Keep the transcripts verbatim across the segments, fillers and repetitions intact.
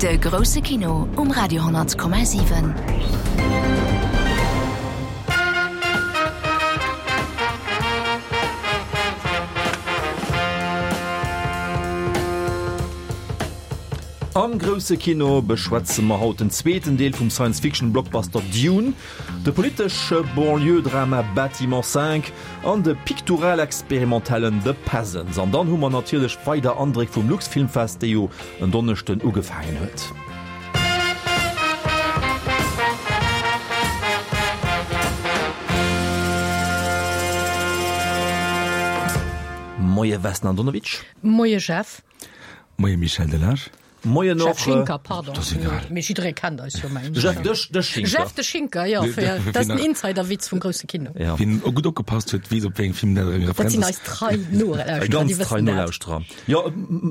De grousse Kino um Radio honnert Komma siwen. Am grousse Kino beschwätze mer haut den zweeten Deel vum Science-Fiction-Blockbuster Dune, de politesche Banlieue-Drama Bâtiment cinq an de piktural-experimentellen The Peasants. An dann hu mer natierlech weider Andréck vum Luxfilmfest, dee jo en Donneschden ugefaangen huet. Moie Vesna Andonovic. Moie Jeff. Moie Michel Delage. Moien Jeff och. Schinker, pardon. Dat ass egal. Mee jidderee kennt eis jo, mengen ech. Jeff de, de Schinker. Jeff de Schinker, jo, fir, dat ass den Insiderwitz vum grousse Kino. Ja. Wien gutt opgepasst huet, weess, op wéi engem Film dat eng Dat Referenz sinn ass. eis trei Nolauschterer, déi Ganz trei wëssen dat. Nolauschterer. Jo,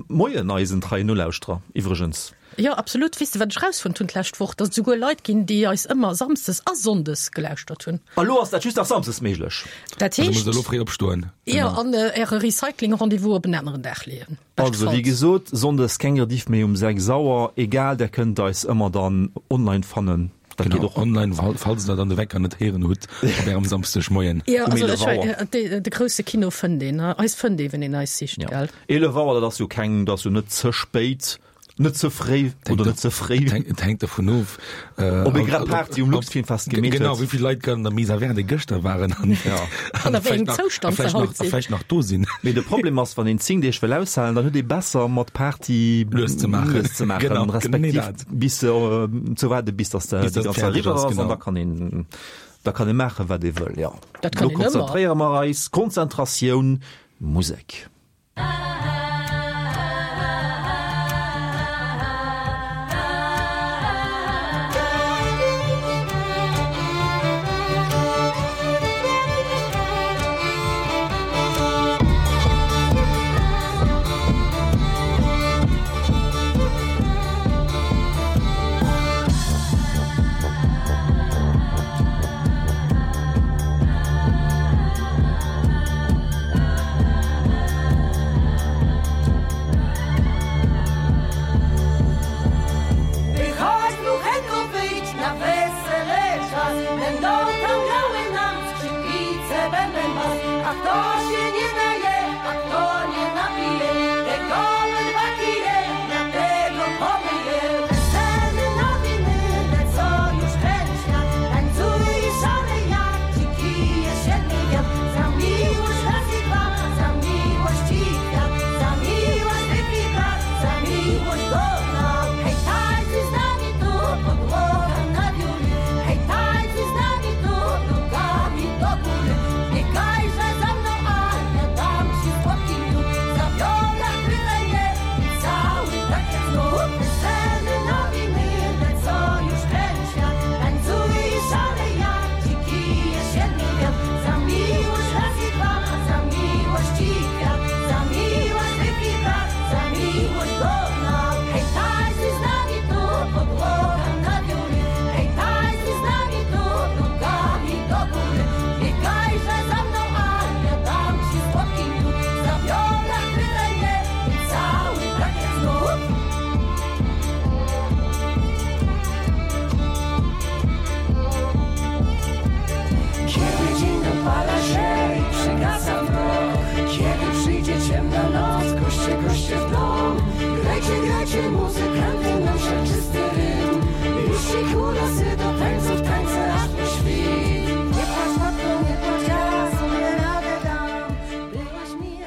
moien eisen treien Nolauschterer iwwregens. Jo, absolut. Weess de, wat ech rausfonnt hunn d'lescht Woch? Datt et souguer Leit ginn, déi eis ëmmer samsdes a sonndes gelauschtert hunn. A lo ass dat just nach samsdes méiglech. Dat Also heescht. musst der elo fréi opstoen. Jo, an äre Recycling-Rendez-vous op en aneren Dag leeën. Also, wéi Beschtefalls. gesot, sonndes keng Rediff méi um sechs Auer. Egal, der kënnt eis ëmmer dann online fannen. Dat geet Genau, och. online, falls der dann de Wecker net héieren hutt op ärem Samschdegmoien. Jo, Um also eelef ech, Auer. äh, de, de grousse Kino fënnt een, eis fënnt ee, wann een eis sicht, Ja. gell? Eelef Auer, dat ass jo keng, dat ass jo net ze spéit. Net ze fréi oder net ze fréi. Et hänkt dovun of, Ob ee grad Party um Luxfilmfest gemeet huet. Genau, wéi vill Leit grad an der Maison Verte gëschter waren an An a wéi engem Zoustand se haut sinn. A vläicht nach do sinn. Mee de Problem ass, wann een zéng Deeg wëll aushalen, dann huet ee besser mat Party Lues ze maachen. lues ze maachen, Genau, respektiv genee dat. bis ze waarde bis dass Bis déi dat ganz fäerdeg eriwwer ass, ass, an genau. da kann een, da kann ee maachen, wat ee wëll, jo. Dat kann Lo een ëmmer. konzentréiere mer eis, Konzentratioun, Musek.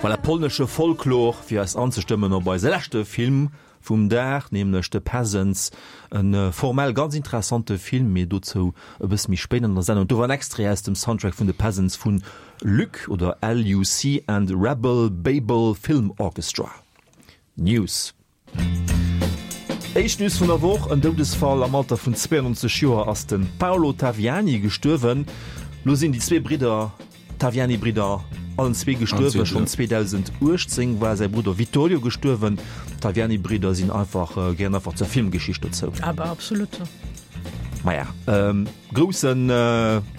Voilà, polnesche Folklor, fir eis anzestëmmen op eise leschte Film vum Dag, nämlech The Peasants, en formell ganz interessante Film, mee dozou e bësse méi spéit an der Sendung. Do war en Extrait aus dem Soundtrack vun The Peasants vun Luc oder L U C and Rebel Babel Film Orchestra. News. Éischt News vun der Woch, en Doudesfall am Alter vun zweiundneunzeg Joer ass den Paolo Taviani gestuerwen. Lo sinn déi zwee Bridder, Taviani-Bridder, allen zwee gestuerwen. Schonn zweedausenduechtzéng war säi Brudder Vittorio gestuerwen. D'Taviani-Bridder sinn einfach, gehéieren einfach zur Filmgeschicht dozou. Aber absolut. Maja, ähm, groussen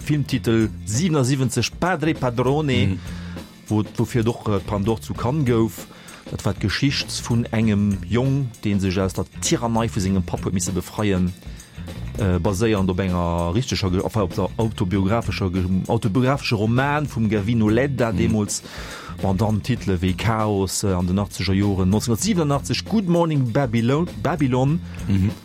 Filmtitel siewenundsiwwenzeg Padre Padrone, wou, woufir et och d'Palme d'Or zu Cannes gouf. Dat war d'Geschicht vun engem Jong, dee sech aus der Tyrannei vu sengem Papp huet misse befreien, baséiernd op enger richteger, enfin op der autobiographescher, autobiographesche Roman vum Gavino Ledda deemools. Bon, dann Titele wéi Chaos an den achtzeger Joren, nonzénhunnertsiwenunachtzeg Good Morning Babylon, Babylon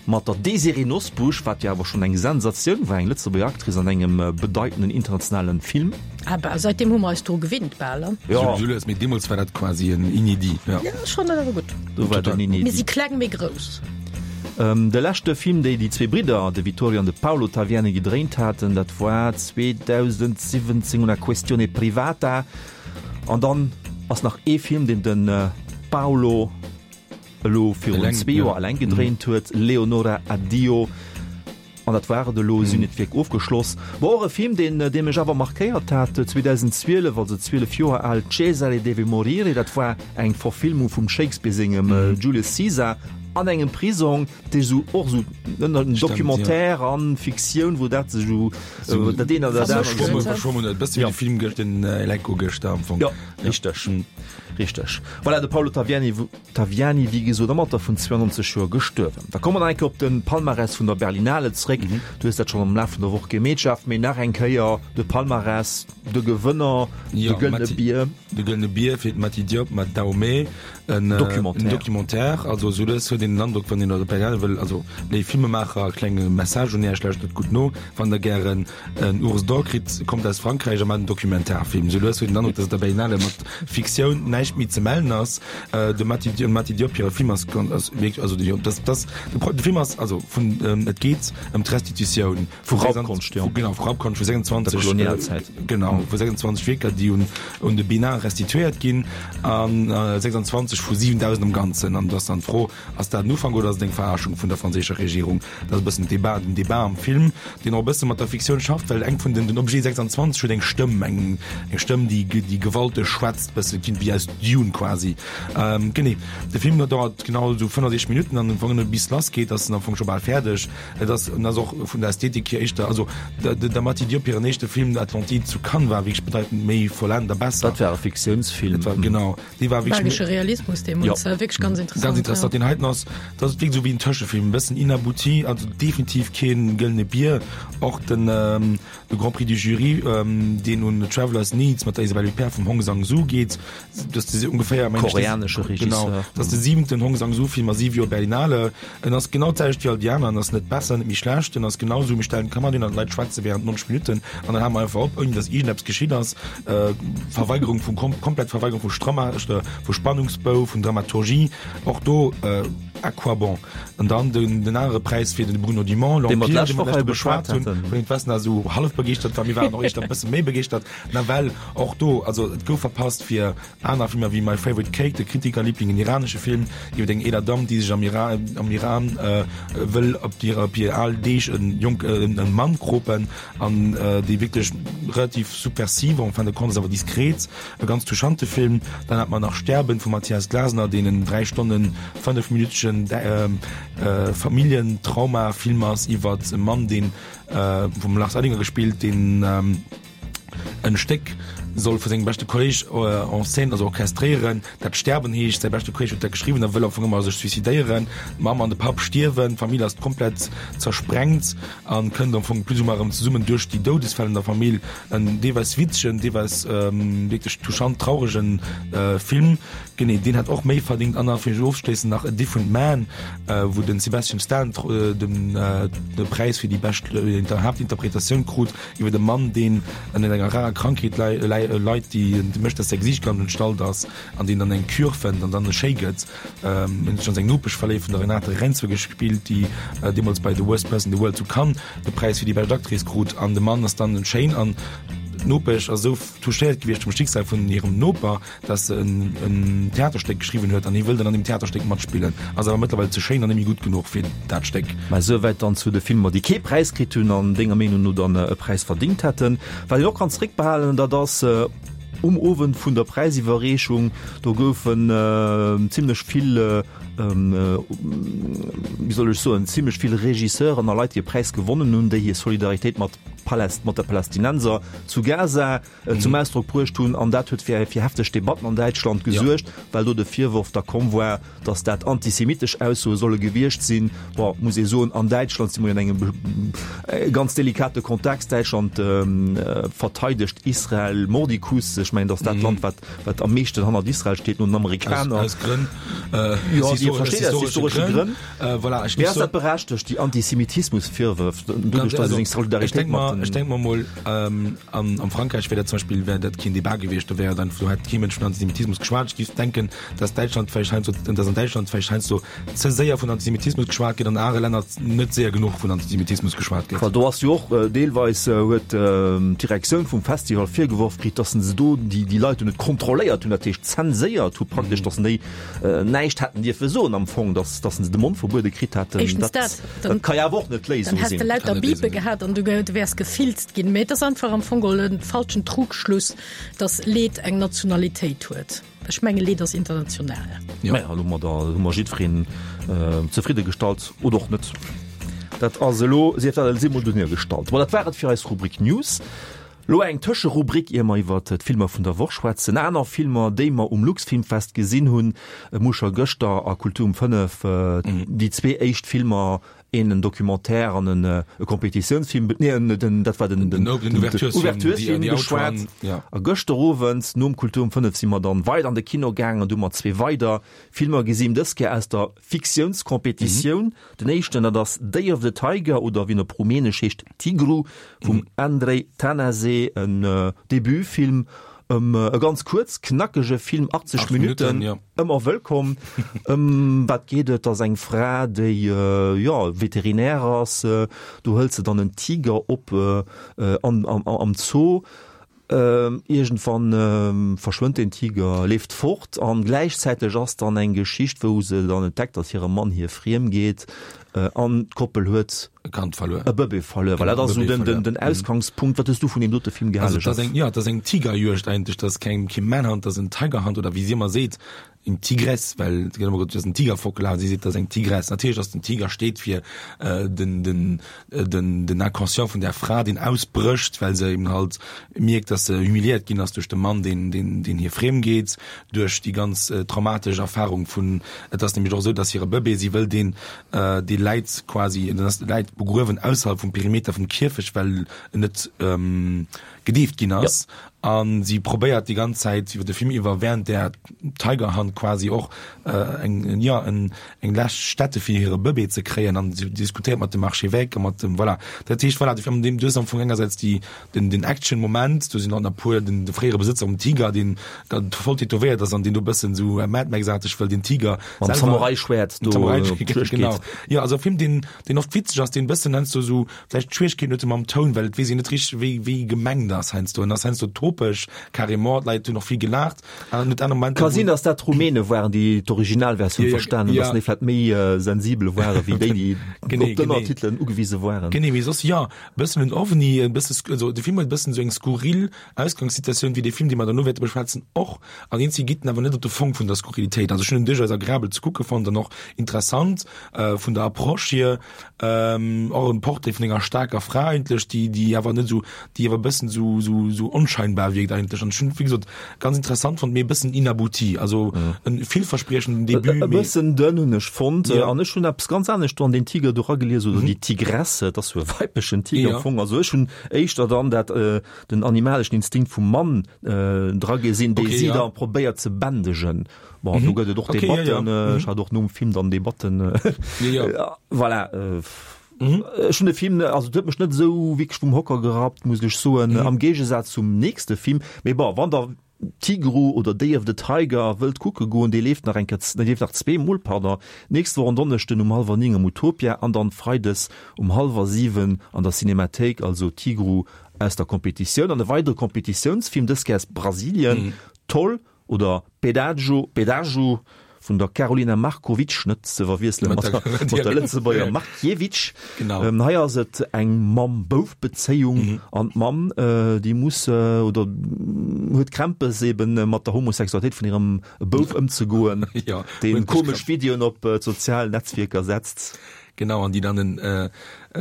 mat der Désirée Nosbusch, wat jo awer schonn eng Sensatioun war, eng Lëtzebuerger Actrice an engem bedeitenden internationalen Film. Ah bah, säitdeem hu mer eis dru gewinnt bal, ne? Ja. Sou lues, mee deemools war dat quasi en Inédit, ja. Ja, schonn, dat awer gutt. Do war den Inédit. Mir si kleng, mee grouss. De leschte Film, déi déi zwee Bridder, de Vittorio an de Paolo Taviani gedréint haten, dat war zweedausendsiwwenzéng Una questione privata. An dann ass nach ee Film, deen de Paolo elo virun zwee Joer eleng gedréint huet, Leonora Addio. An dat war et elo, si hunn hiert Wierk ofgeschloss. Bon, och e Film, deen, dee mech awer markéiert hat, zweedausendzwielef, also zwielef Joer al, Cesare deve morire, dat war eng Verfilmung vum Shakespeare sengem Julius Caesar an engem Prisong, dee sou och sou en Documentaire an Fiktioun, wou dat sech sou, dat een an dat anert. Verschwommen, verschwommen huet, e bësse wéi de Film gëscht, den Eleco gëschter am Fong. Jo, richteg, richteg. Voilà, de Paolo Taviani. Taviani, wéi gesot, am Alter vun zwouennonzeg Joer gestuerwen. Da komme mer nach eng Kéier op de Palmarès vun der Berlinale zréck. Du hues dat schonn am Laf vun der Woch gemeet, Jeff, mee nach eng Kéier de Palmarès, de Gewënner, de Gëllene Bier. De Gëllene Bier fir d'Mati Diop mat Dahomey, en Documentaire. Also esou lues huet een den Androck, wann een op der Berlinale wëll, also léif Filmemaacher, klenge Message un Iech, lauschtert gutt no, wann der gären en Ours d'Or kritt, kommt aus Frankräich a maacht en Documentarfilm. Esou lues huet een den Androck, datt op der Berlinale mat Fiktioun näischt méi ze mellen ass. De Mati dem Mati Diop hire Film ass ass wierklech, also déi das das de Film ass also vun et geet ëm d'Restitutioun vu Raubkonscht, jo genau vu Raubkonscht vu sechsundzwanzeg der Kolonialzäit, genau vu sechsundzwanzeg Wierker déi un un de Bénin restituéiert ginn an sechsundzwanzeg vu siwendausend am Ganzen. An do ass dann d'Fro, ass dat en Ufank oder ass et eng Verarschung vun der franséischer Regierung? Dat ass e bëssen Debat, den Debat am Film, deen och e bësse mat der Fiktioun schafft, well eng vun den den Objet sechsundzwanzeg huet eng Stëmm, eng eng Stëmm déi déi gewalteg schwätzt, bësse wéi aus Dune quasi. Genee, de Film dauert genau esou fënnefundsiechzeg Minutten an am Fong bis lass geet ass en am Fong scho bal fäerdeg. Et ass en ass och vun der Ästhetik hier éischter, also der Mati Diop hiren éischte Film Atlantide zu Cannes war wierklech bedeitend méi vollend a besser. Dat war e Fiktiounsfilm. Dat war genau, dee war wierklech méi. Belgesche Realismus deemools, jo, wierklech ganz interessant. Ganz interessant. Deen heiten ass, dat ass wierklech esou wéi en Tëschefilm, e bëssen inabouti, also definitiv kee gëllene Bier. Och den de Grand Prix du Jury, deen un Traveller's Needs mat der Isabelle Huppert vum Hong Sang-soo geet, dat ass de ungeféier mengen ech de Koreanesche genau, Regisseur. dat ass de siwenten Hong Sang-soo-Film a siwe Joer Berlinale. En ass genau d'selwecht wéi all déi aner, en ass net besser, net méi schlecht, en ass genau esou, mir stellen d'Kamera hin an d'Leit schwätze während neunzeg Minutten an dann hale mer einfach op, ouni datt iergendeppes geschitt ass. Verweigerung vum kom komplett Verweigerung vu Stramma vu Spannungsbou, vun Dramaturgie, och do à quoi bon? An dann den den anere Präis fir den Bruno Dumont, Dee mer L'Empire, d'lescht dee mer Woch hei d'lescht Woch beschwat beschwat hunn, haten. vun deem d'Vesna esou hallef begeeschtert war, mir waren och éischter e bësse méi begeeschtert, nawell och do, also et gouf verpasst fir aner Filmer wéi My Favorite Cake, de Kritikerliebling, en iranesche Film iwwer eng eeler Damm, déi sech am Iran, am Iran wëll op hir, op hir al Deeg en jonk, en Mann kropen an dee wierklech relativ subversiv, en fin de compte ass awer diskret, e ganz touchante Film. Dann hat mer nach Sterben vum Matthias Glasner, deen en dräi Stonnen fënnef minütegen Familljentrauma-Film ass iwwer e Mann, deen vum Lars Eidinger gespillt, deen en Stéck soll vu sengem beschte Kolleg en scène, also orchestréieren, dat Sterben heescht. Säi beschte Kolleg huet dat geschriwwen a wëll am Fong ëmmer sech suicidéieren. D'Mamm an de Papp stierwen, d'Famill ass komplett zersprengt a kënnt am Fong plus ou moins erëm zesummen duerch déi Doudesfäll an der Famill. En deelweis witzegen, deelweis wierklech touchant trauregen Film. Genee, deen hätt och méi verdingt. An da fir ofzeschléissen nach A Different Man, wou den Sebastian Stan de Präis fir déi bescht Haaptinterpretatioun krut. Iwwer e Mann, deen ënner enger rarer Krankheet leit, déi mécht, dass säi Gesiicht ganz entstallt ass an deen dann eng Cure fënnt an dann schéi gëtt. En huet sech an seng Nopesch verléift, vun der Renate Reinsve gespillt, déi deemools bei The Worst Person in the World zu Cannes de Präis fir déi bescht Actrice krut. An de Mann ass dann schéin an d'Nopesch ass esou touchéiert gewiescht vum Schicksal vun hirem Noper, dass se en Theaterstéck geschriwwen huet an hie wëll dann an deem Theaterstéck matspillen, ass awer mëttlerweil ze schéin an net méi gutt genuch fir dat Stéck. Mä esouwäit dann zu de Filmer, déi kee Präis kritt hunn an denger Meenung no dann e Präis verdingt hätten. Wat een och kann zréckbehalen, dat ass um Owend vun der Präisiwwerreechung, do goufen zimlech vill wéi soll ech soen, zimlech vill Regisseuren a Leit, déi e Präis gewonnen hunn, déi hir Solidaritéit mat Paläst, mat der Palästinenser zu Gaza zum Ausdrock bruecht hunn. An dat huet fir fir hefteg Debatten an Däitschland gesuergt, well do de Virworf da komm war, datt dat antisemitesch Aussoe solle gewiescht sinn. Bon, muss ee soen, an Däitschland si mer jo an engem ganz delikate Kontext. Däitschland verteidegt Israel mordicus. Ech mengen, dat ass dat Land, wat wat am meeschten hannert Israel steet, no den Amerikaner. Aus Grënn. Jo, Dir versteet, aus historesche Grënn. Voilà, ech Mee ass dat berechtegt, déi Antisemitismusvirwërf, doduerch datt ee seng Solidaritéit mat den. Ech denke mer mol, am Frankräich wär dat zum Beispill wär dat keen Debat gewiescht, do wär et einfach, do hätt kee Mënsch vun Antisemitismus geschwat. Ech géif denken, datt Däitschland vläicht heiansdo, datt an Däitschland vläicht heiansdo ze séier vun Antisemitismus geschwat gëtt, an anere Länner net séier genuch vun Antisemitismus geschwat gëtt. Well do ass jo och deelweis huet d'Direktioun vum Festival virgeworf kritt, datt se do déi déi Leit do net kontrolléiert hunn, dat heescht zenséiert hu praktesch, datt se déi näischt hätten dierfe soen am Fong, datt datt se de Mond verbuede kritt hätten. Éischtens dat, Dat ka jo awer och net d'Léisung dann häss sinn. de lauter Kann net Bipe d'Léisung sinn. gehat an du du wäers gefilzt ginn. Mee et ass einfach am Fong geholl e falschen Trugschluss, datt Leed eng Nationalitéit huet. Ech menge Leed ass international. Ja. Maja, elo hu mer da hu mer jiddwereen zefridde gestallt oder och net. Dat ass elo, sief dat elo emol dohinner gestallt. Bon, dat war et fir eis Rubrik News. Lo eng Tëscherubrik, ier mer iwwer d'Filmer vun der Woch schwätzen. Aner Filmer, déi mer um Luxfilmfest gesinn hunn. Mir hu scho gëschter a Kultur um fënnef déi zwee éischt Filmer, een en Documentaire an en e Competitiounsfilm, nee, den, dat war den, den Ouverturesfilm, geschwat. A gëschter Owend nom Kultur um fënnef si mer dann weider an de Kino gaangen an du hu mer zwee weider Filmer gesinn, dës Kéier aus der Fiktiounscompetitioun. Den éischten, dat ass Day of the Tiger oder wéi en op Rumänesch heescht Tigru vum Andrei Tanase, en Debutfilm, e ganz kuerz, knackege Film, achtzeg Minutten, ëmmer wëllkomm. Ëm wat geet et? Et ass eng Fra, déi, jo, Veterinär ass, do hëlt se dann en Tiger op am Zoo. Iergendwann verschwënnt den Tiger, leeft fort an gläichzäiteg ass dann eng Geschicht, wou se dann entdeckt, datt hire Mann hir friem geet an d'Koppel huet e Kand verluer, e Bëbee verluer. Voilà, dat ass esou den, den, den Ausgangspunkt. Wat hues du vun deem dote Film gehale, Also, dat ass eng, jo, dat ass eng Tigerjuegd eigentlech. Dat ass keng, kee Manhunt, dat ass en Tigerhunt oder wéi si ëmmer seet, eng Tigresse, well et gëtt ëmmer gesot, dat ass en Tiger fortgelaf, si seet, dat ass eng Tigresse. Natierlech ass den Tiger steet fir den, den, den, den Inconscient vun där Fra, deen ausbrécht, well se eben halt mierkt, dass se humiliéiert ginn ass duerch de Mann, deen, deen, deen hir friem geet, duerch déi ganz traumatesch Erfahrung vun, et ass nämlech och esou, dass hire Bëbee, si wëll deen, dee läit quasi, den ass läit begruewen ausserhalb vum Perimeter vum Kierfecht, well en net gedeeft ginn ass. A si probéiert déi ganz Zäit iwwer de Film iwwer, während där Tiger Hunt quasi och eng, jo, en, eng lescht Stätte fir hire Bëbee ze kréien. An si diskutéiert mat dem Archevêque a mat dem, voilà. Dat heescht, voilà, de Film, an deem, du hues am Fong engersäits déi, den, den Action-Moment, do sinn och nach e puer, den, de fréiere Besëtzer vum Tiger, deen voll tätowéiert ass an deen do e bëssen esou Mad Max-aarteg wëll den Tiger Mam Samurai-Schwäert do op d'Juegd Genau. geet. Jo, also e Film, deen, deen oft witzeg ass, deen e bëssen heiansdo esou vläicht Schwierigkeeten huet mam Toun, well et weess een net richteg, wéi, wéi gemengt ass heiansdo. En ass heiansdo topeg, carrément, d'Leit hunn och vill gelaacht an en huet aner Momenter, Ka sinn, wou. datt dat d'Rumäne waren, déi d'Originalversioun Jo, jo, verstanen hunn, ja. datt déi vläicht méi sensibel ware wéi déi, déi Genee, op genee. d'Ënnertitelen ugewise waren. Genee, mee soss, jo, e bëssen en Ovni, e bësse, also de Film huet e bëssen esou eng skurril Ausgangssituatioun, wéi dee Film, dee mer derno wäerte beschwätzen, och. An eenzeg geet en awer net op de Fong vun der Skurrilitéit. Also ech hunn en duerchaus agreabel ze kucke fonnt an och interessant vun der Approche hier. Och en Portrait vun enger staarker Fra eigentlech, déi, déi awer net esou, déi awer e bëssen esou, esou, esou onscheinbar wierkt eigentlech. An ech hunn, wéi gesot, ganz interessant fonnt, mee e bëssen inabouti. Also en villverspriechenden Debut, E mee. bëssen dënn hunn ech fonnt. Ja. An ech hunn eppes ganz anescht do an deen Tiger do eragelies, oder déi Tigresse, et ass jo e weiblechen Tiger am Ja. Fong. Also ech hunn éischter dann dat, den animaleschen Instinkt vum Mann dra gesinn, dee Okay, si ja. da probéiert ze bändegen. Bon, do gëtt et och Okay, ja, ja. Debatten, ech hat och nom Film dann Debatten. Ja, ja. Voilà. Ech hunn de Film, also et huet mech net esou wierklech vum Hocker gerappt, muss ech soen, am Géigesaz zum nächste Film. Mee bon, wann der Tigru oder Day of the Tiger wëllt kucke goen, dee leeft nach eng Kéier, dee leeft nach zwee Mol, pardon, d'nächst Woch en Donneschden um hallwer néng am Utopia an dann freides um hallwer siwen an der Cinémathéik, also Tigru aus der Competitioun. An e weidere Competitiounsfilm, dës Kéier aus Brasilien, Toll oder Pedágio, Pedágio vun der Karolina Markovic, net ze verwiessele mat der, mat der Lëtzebuerger Markiewicz. Genau. Ähm, hei ass et eng Mamm-Bouf-Bezéiung mhm. an d'Mamm äh, déi muss äh, oder huet Krämpes eben äh, mat der Homosexualitéit vun hirem Bouf ëmzegoen, ja, deen komesch Videoen op äh, sozialen Netzwierker setzt. Genau, an déi dann en, äh, äh,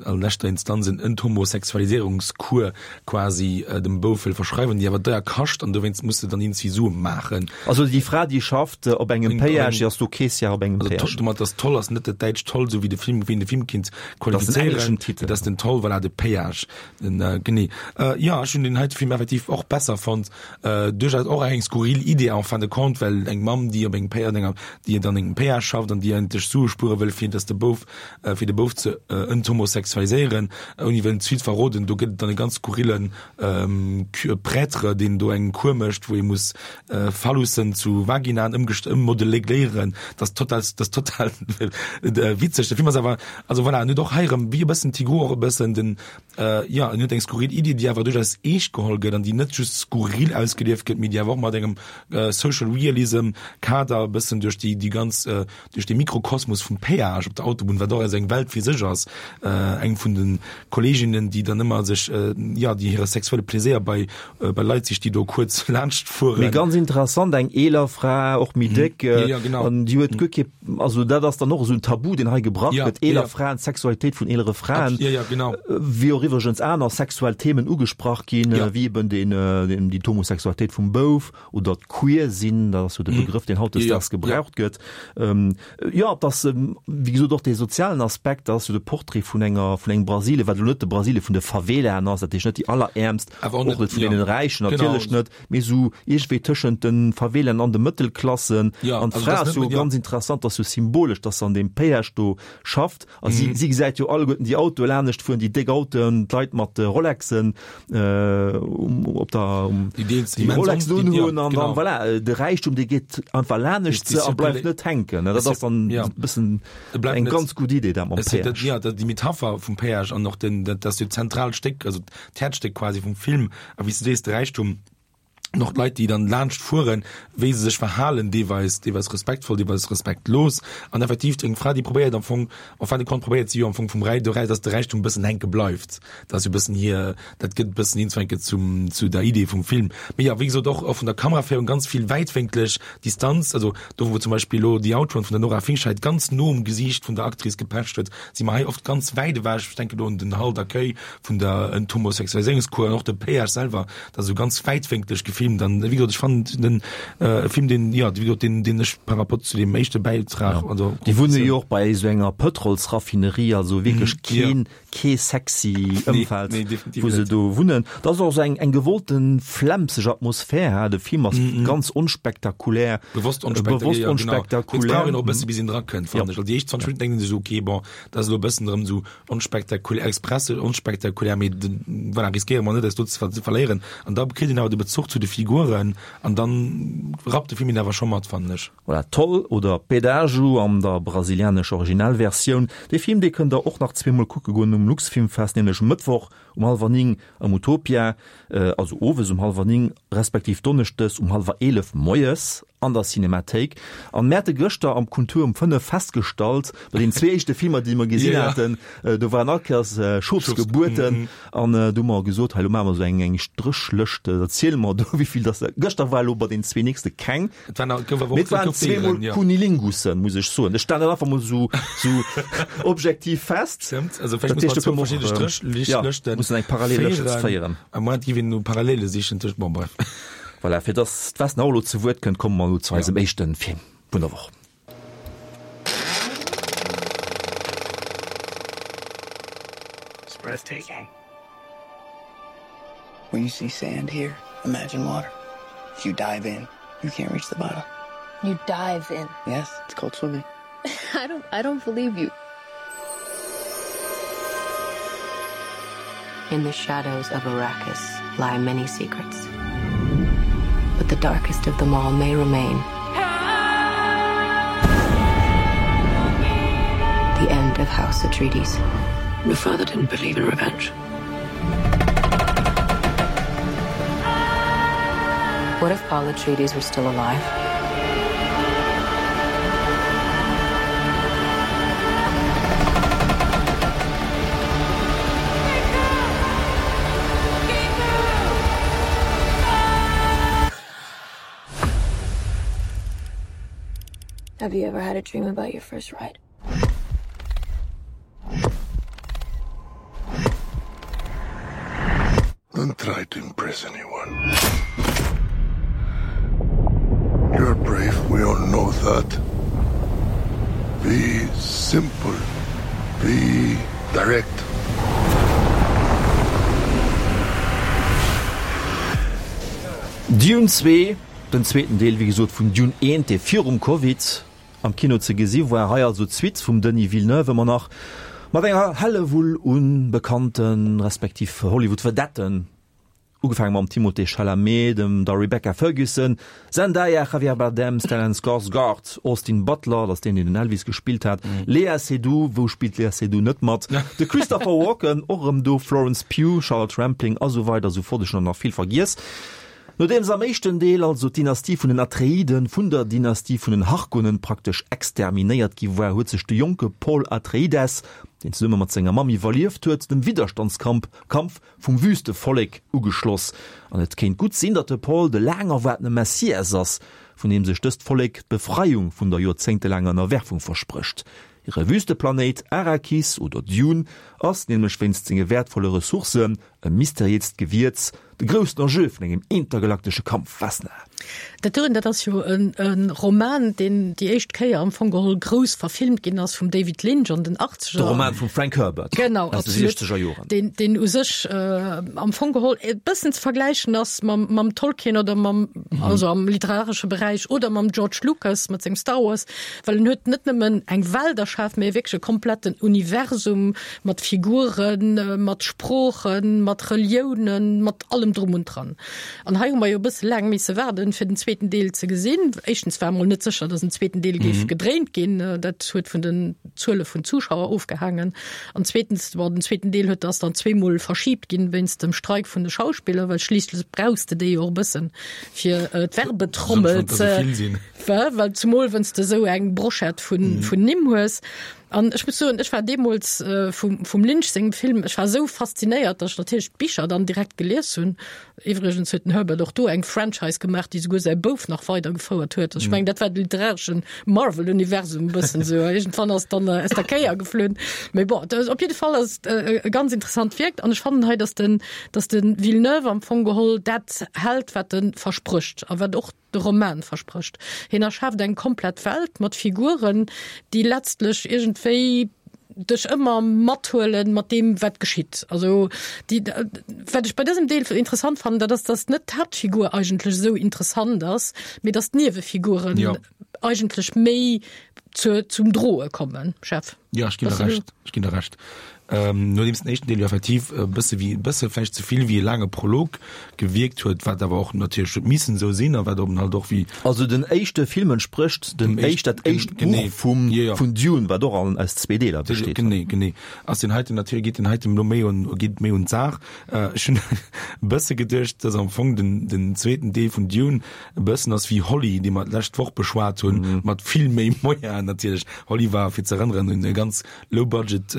an leschter Instanz en Enthomosexualisierungskur quasi äh, dem Bouf wëll verschreiwen, déi awer deier kascht an dowéinst muss se dann iergendwéi Sue maachen. Also déi Fra, déi schafft äh, op engem Péage, déi ass do Caissière op engem Also Péage. domat das Toll ass net dat däitscht Toll, sou wéi de Film, wéi een de Film kinnt Das ass den qualifizéieren. engleschen Titel. Dat ass den Toll, voilà, de Péage. Den, äh, genee. Äh, ja, ech hunn den heite Film effektiv och besser fonnt. Äh, duerchaus och eng skurril Idee en fin de compte, well eng Mamm, déi op engem Péage, an enger, déi an engem Péage schafft an déi eigentlech Sue spuere wëll, fir dass de Bouf, äh, fir de Bouf ze äh, enthomosexualiséieren, ouni wëllen d'Suite verroden, do gëtt et dann e ganz skurrillen ähm, Prêtre, deen do eng Kur mécht, wou ee muss äh, Phallussen zu Vaginaen ëmgest ëmmodeléieren. Dat ass total, dat ass total äh, witzeg. De Film ass awer, also voilà, en huet och hei erëm, wéi e bëssen Tigrou och e bëssen den, äh, ja, en huet eng skurril Idee, déi awer duerchaus eescht geholl gëtt an déi net just skurril ausgelieft gëtt, mee déi awer och mat engem äh, Social Realism Kader e bëssen duerch déi, déi ganz, äh, duerch de Mikrokosmos vum Péage op der Autobunn, wat och esou eng Welt fir sech ass, äh, eng vun de Kolleginnen, déi dann ëmmer sech, äh, ja, déi hire sexuelle Pleséier bei, äh, bei Leit sicht, déi do kuerz laanscht fueren. Mee ganz interessant, eng eeler Fra, och méi déck, Ja, ja, genau. an déi huet guer kee, also dat ass dann och esou en Tabu, deen hei gebrach Ja, gëtt, eeler ja. Fraen, d'Sexualitéit vun eelere Fraen, Ja, ja, genau. wéi och iwwregens aner sexuell Themen ugesprach ginn, Ja. wéi eben den, den, déi d'Homosexualitéit vum Bouf oder d'Queer sinn, dat ass jo de Begrëff, deen hautdesdaags Ja, ja. gebraucht gëtt. Ähm, ja, dat ass, wéi gesot, och dee sozialen Aspekt, dat ass jo de Portrait vun enger, vun engem Brasilie, wat elo net de Brasilie vun de Favelaen ass, dat heescht net déi Alleräermst, Awer och och net, net vun ja. deene Räichen, Genau. natierlech net, mee esou iergendwéi tëschent de Favelaen an de Mëttelklassen. Ja, An also d'Fra dat ass ass jo net, ja. ganz interessant, dat ass jo symbolesch, dass se an deem Péage do schafft. A si, Mhm. si gesäit jo alleguerten déi Autoe lanescht fueren, déi déck Autoen, d'Leit mat de Rolexen, äh, um, op der, um, Déi deels déi immens Rolexen on, déi, ja, unhunn an dann, genau. voilà, de Räichtum, dee geet einfach lanescht Déi a bleift Zirkula- net hänken. Dat Es ass dann ja. e bëssen E bleift eng net- ganz gutt Idee, dat mam Es, dat, Péage. ja, dat, déi Metapher vum Péage an och den, dat, dat ass jo d'zentraalt Stéck, also d'Häerzstéck quasi vum Film, a wéi s du sees, de Räichtum, an och d'Leit, déi dann laanscht fueren, wéi se sech verhalen, deelweis, deelweis respektvoll, deelweis respektlos. An effektiv eng Fra, déi probéiert am Fong, en fin de compte probéiert si jo am Fong vum Räi, dass de Räichtum e bëssen hänke bleift. Dat ass jo e bëssen hir, dat gëtt e bëssen iergendwann zum, zu der Idee vum Film. Mee jo, wéi gesot, och, och vun der Kameraféierung ganz vill wäitwénklech Distanz, also do wou zum Beispill elo The Outrun vun der Nora Fingscheidt ganz no um Gesiicht vun der Actrice gepecht huet, si mer hei oft ganz wäit ewech, ech denken do un den Halt d'accueil vun der Enthomosexualiséierungskur an och de Péage selwer, dat ass esou ganz wäitwénklech gefilmt. Dann, wéi gesot, ech fannen den äh, Film, den, ja, wéi gesot, den, den ech par rapport zu dem éischte Bäitrag, Ja. also, Déi wunne jo och bei esou enger Pëtrolsraffinerie, also wierklech Mhm, keen, ja. kee sexy Nee, Ëmfeld, nee, definitiv wou se net. do wunnen. Dat ass och esou eng, eng gewollten flemmseg Atmosphär, ha. De Film ass Mhm. ganz onspektakulär. Bewosst Äh, onspektakulär, bewosst ja, genau. onspektakulär. Et brauch een och e bësse bis een dra kënnt, fannen Ja. ech. Well déi éischt zwanzeg Minutten denkt een sech esou, okay, bon, dat ass elo e bëssen erëm esou onspektakulär, express onspektakulär, mee den, voilà, riskéiere mer net, eis do ze ver-, ze verléieren. An da kritt een awer de Bezuch zu de Figuren an dann rappt de Film een awer scho mat, fannen ech. Voilà, Toll oder Pedágio an der brasilianescher Originalversioun. Dee Film, dee kënnt der och nach zweemol kucke goen um Luxfilmfest, nämlech Mëttwoch um hallwer néng am Utopia, äh, also owes um hallwer néng, respektiv donneschdes um hallwer eelef moies an der Cinemathéik. An mir hate gëschter am Kultur um fënnef festgestallt, bei den zwee éischte Filmer, déi mer gesinn Ja, ja. haten, äh, do waren all Kéiers, äh, Schofsgebuerten. Mhm. An, äh, do hu mer gesot, hei, lo maache mer esou eng, eng Stréchlëscht, da ziele mer do, wéi vill das, gëschter war elo bei den zwee nächste keng. Et waren auch, gouf awer och Mee et waren gouf Déieren, zweemol ja. Kunilingussen, muss ech soen. Ech stellen dat einfach mol esou, esou objektiv fest. Stimmt. Also vielleicht Dat muss heescht, man do zwei kënne mer verschiedene och, Stréchlëschten ja, mussen eng Parallellëscht féieren. Am Moment gi wir nur Parallele sichen tëscht, bon, bref. Voilà, fir dass d'Wes nach elo zu Wuert kënnt, komme mer elo zu eisem éischten Film vun der Woch. It's breathtaking. When you see sand here, imagine water. If you dive in, you can't reach the bottom. You dive in? Yes, it's called swimming. I don't, I don't believe you. In the shadows of Arrakis lie many secrets. But the darkest of them all may remain. The end of House Atreides. Your father didn't believe in revenge. What if Paul Atreides were still alive? Have you ever had a dream about your first ride? Don't try to impress anyone. You're brave, we all know that. Be simple. Be direct. Dune zwee, den zweeten Deel wéi gesot vun Dune eent, dee virum Covid am Kino ze gesi war. Hei also d'Suite vum Denis Villeneuve, ëmmer nach mat enger Hellewull u bekannte respektiv Hollywood-Vedetten, ugefaange mam Timothée Chalamet, dem der Rebecca Ferguson, Zendaya, Javier Bardem, Stellan Skarsgård, Austin Butler, dat ass deen, deen den Elvis gespillt hat, Léa Seydoux, wou spillt d'Léa Seydoux net mat? De Christopher Walken, och erëm do, Florence Pugh, Charlotte Rampling a sou weider a sou fort. Ech hunn der nach vill vergiess. Nodeems am éischten Deel also d'Dynastie vun den Atreiden vun der Dynastie vun den Harkonnen praktesch exterminéiert gi war, huet sech de jonke Paul Atreides, deen zesumme mat senger Mamm iwwerlieft huet, dem Widderstandskamp Kampf vum Wüstevollek ugeschloss. An et kéint gutt sinn, datt de Paul de laang erwaartene Messias ass, vun deem sech dëst Vollek d'Befreiung vun der joerzéngtelaanger Ënnerwerfung versprécht. Hire Wüsteplanéit Arrakis oder Dune ass nämlech wéinst senge wäertvolle Ressourcen e mysteriéist Gewierz, de groussen Enjeu vun engem intergalaktesche Kampf, Vesna. Dat doen, dat ass jo e Roman, deen déi éischt Kéier am Fong geholl grouss verfilmt ginn ass vum David Lynch an den Achtzeger. De Roman vum Frank Herbert genau, aus de siechzeger Joren. Deen, deen u sech am Fong geholl e bëssen ze vergläichen ass mam, mam Tolkien oder mam, also am literaresche Beräich, oder mam George Lucas mat sengem Star Wars, well en huet net nëmmen eng Welt erschaf, mee wierklech e kompletten Universum mat Figuren, mat Sproochen, mat Reliounen, mat allem drum und dran. An hei hu mer jo e bësse laang misse waarden, fir den zweeten Deel ze gesinn. Éischtens war emol net sécher, dass en zweeten Deel géif mhm. gedréint ginn. Dat huet vun den Zuele vun Zuschauer ofgehaangen. An zweetens, bon, den zweeten Deel huet ass dann zweemol verschiebt ginn wéinst dem Streik vun de Schauspiller, well schliisslech brauchs de déi jo och e bëssen fir äh, d'Werbetrommel ze well zumol wenn's de sou eng Brochette vun, mhm. vun Nimm hues. An ech muss soen, ech war deemools äh, vum, vum Lynch sengem Film, ech war esou faszinéiert, dass ech natierlech d'Bicher dann direkt gelies hunn. Iwwregens huet den Herbert och do eng Franchise gemaach, déi souguer säi Bouf nach weidergefouert huet. Also ech mengen, dat war de literareschen Marvel-Universum e bëssen esou. Iergendwann ass dann äh, aus der Kéier geflunn. Mee bon, dat, op jidde Fall ass et äh, e ganz interessant Wierk. An ech fannen hei, dass den, dass den Villeneuve am Fong geholl dat hält, wat en versprécht a wat och de Roman versprécht. Hien erschaaft eng komplett Welt mat Figuren, déi letztlech iergendwéi dech ëmmer mathuelen mat deem wat geschitt. Also déi, wat ech bei dësem Deel interessant fannen, dat ass, dass net d'Haaptfigur eigentlech esou interessant ass, mee dass d'Niewefiguren ja. eigentlech méi zu, zum Droe kommen. Chef. Ja, ech ginn der Recht. Ech ginn der Recht. Ähm, nodeems den éischten Deel jo effektiv e bësse wéi, e bësse vläicht ze vill wéi e laange Prolog gewierkt huet, wat awer och natierlech huet missen esou sinn a wat eben halt och wéi. Also den éischte Film entsprécht dem éischt, dat éischt Buch vum, vun Dune, wat och an, aus zwee Deeler besteet. Genee, genee. Ass deen heiten natierlech, geet deen heiten elo méi un, geet méi un d'Saach. Ech hunn e bësse geduecht, dass am Fong den, den zweeten Deel vun Dune e bëssen ass wéi Holly, dee mer d'lescht Woch beschwat hunn, mat vill méi Moyenen natierlech. Holly war, fir ze erënneren, e ganz Low-Budget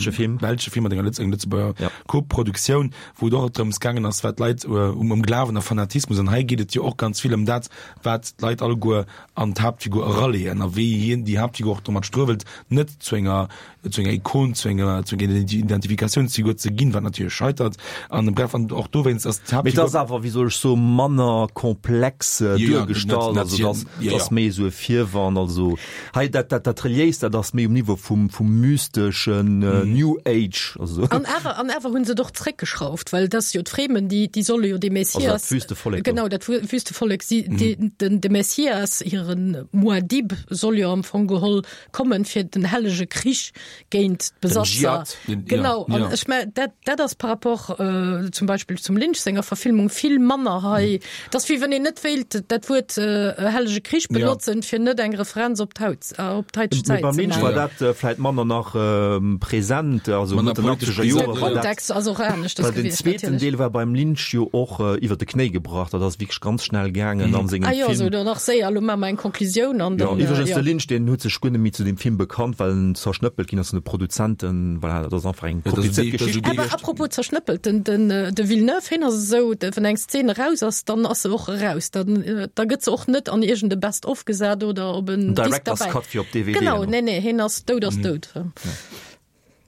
belsche Film, belsche Film mat enger Lëtz Lëtzebuerger ja. Co-Produktioun, wou et och drëms gaangen ass, wat d'Leit äh, um, um Glawen a Fanatismus an hei geet et jo och ganz vill ëm dat, wat d'Leit alleguer an d'Haaptfigur eraleeën a wéi hien déi Haaptfigur och domat struewelt, net zu enger zu enger Ikon, zu enger zu enger Identifikatiounsfigur ze ginn, wat natierlech scheitert an bref an och dowéinst ass d'Haaptfigur. Mee et ass awer, wéi soll ech soen, manner komplex duergestallt, also dass dass méi esou e Virwand, also hei dat dat dat Reliéist, dat ass méi um Niveau vum vum mysteschen New Age, also. An awer an awer hu se et och zréckgeschrauft, well et ass jo d'Fremen, déi déi solle jo dee Messias, also dat Wüstevollek do. Genau, dat Wüstevollek, si déi den de Messias, hiren Muad'Dib soll jo am Fong geholl kommen, fir den hellege Krich géint d'Besatzer. Genau, an ech mengen, dat, dat ass par rapport äh, zum Beispill zum Lynch senger Verfilmung vill manner hei. Mhm. Dat ass wéi wann een net wéilt dat Wuert äh, hellege Krich benotzen, ja. fir net eng Referenz op d'Haut, äh, op d'heiteg Zäit Beim ze Lynch war maachen. dat äh, vläit manner nach ähm, präsent. present, also Manner Mëtt den politesch achtzeger präsent, Jore De war dat. Kontext ass och aneschters Well den gewiescht, zweeten natierlech. Deel war beim Lynch jo och iwwer de Knéi gebrach, dat ass wierklech ganz schnell gaangen an sengem Ah jo, Film. esou dann nach séier, elo maache mer eng Conclusioun an Jo, dann, iwwregens jo. de Lynch, deen huet sech guer net méi zu deem Film bekannt, well en zerschnëppelt ginn ass vun de Produzenten. Voilà, dat ass einfach eng Ja, dat ass kompliziert déi- dat ass Geschicht. déi Awer Geschicht. apropos zerschnëppelt, den, den, de Villeneuve, hien ass esou, de, wann eng Szene raus ass, dann ass se och eraus. Dann, da gëtt se och net an iergend e Best of gesat oder op en En Disc Director's derbäi. Cut fir op D V D. Genau, nee, nee, hien ass dout ass dout.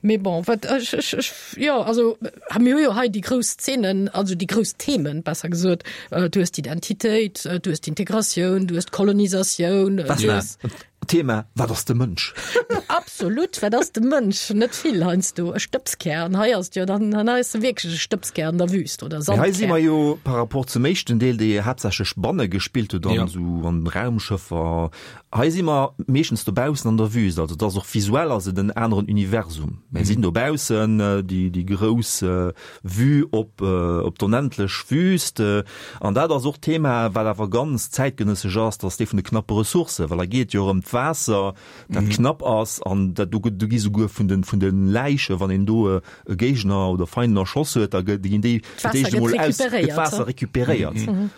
Mee bon, wat ech, ech, ech, jo, also ha mir hu jo hei déi grouss Szenen, also déi grouss Themen, besser gesot. Du hues d'Identitéit, du hues d'Integratioun, du hues d'Kolonisatioun, du hues. Thema, Wat ass de Mënsch? Absolut, wat ass de Mënsch? Net vill heiansdo, e Stëbskär. An hei ass jo dann, hei ass de wierklech e Stëbskär an der Wüst oder Mee hei si Sandkär. mer jo par rapport zum éischten Deel, dee haaptsächlech banne gespillt huet an Ja. esou an Raumschëffer. Hei si mer meeschtens dobaussen an der Wüst, also et ass och visuell ass et en aneren Universum. Mir sinn dobaussen, déi, déi grouss Vue op, op d'onendlech Wüst. An dat ass och d'Thema, wat awer ganz zäitgenëssesch ass, dat ass dee vun de knappe Ressourcen, well da geet et jo ëm d'Waasser, dat mhm. knapp ass an dat do, do gi souguer vun den, vun den Läiche, wann een do e Géigner oder Feinden erschoss huet, da ginn déi fir d'éischt emol aus, gëtt d'Waasser recuperéiert. Mhm.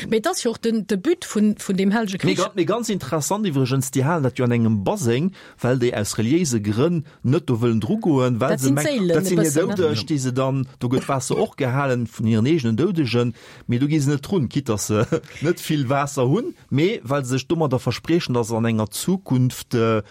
Mee et ass jo och den, de But vun, vun deem hellege Mee Krich. Mee ganz interessant iwwregens, déi halen dat jo an engem Baseng, well déi aus reliéise Grënn net do wëllen drugoen, well Dat se sinn mengen, d'Séilen dat e sinn hir bëssen, ne? Doudeg, déi se dann, do gëtt d'Waasser och gehalen vun hiren eegenen Doudegen, mee do gi se net drun, quitte dass se net vill Waasser hunn, mee well se sech domadder verspriechen, dass an enger Zukunft, an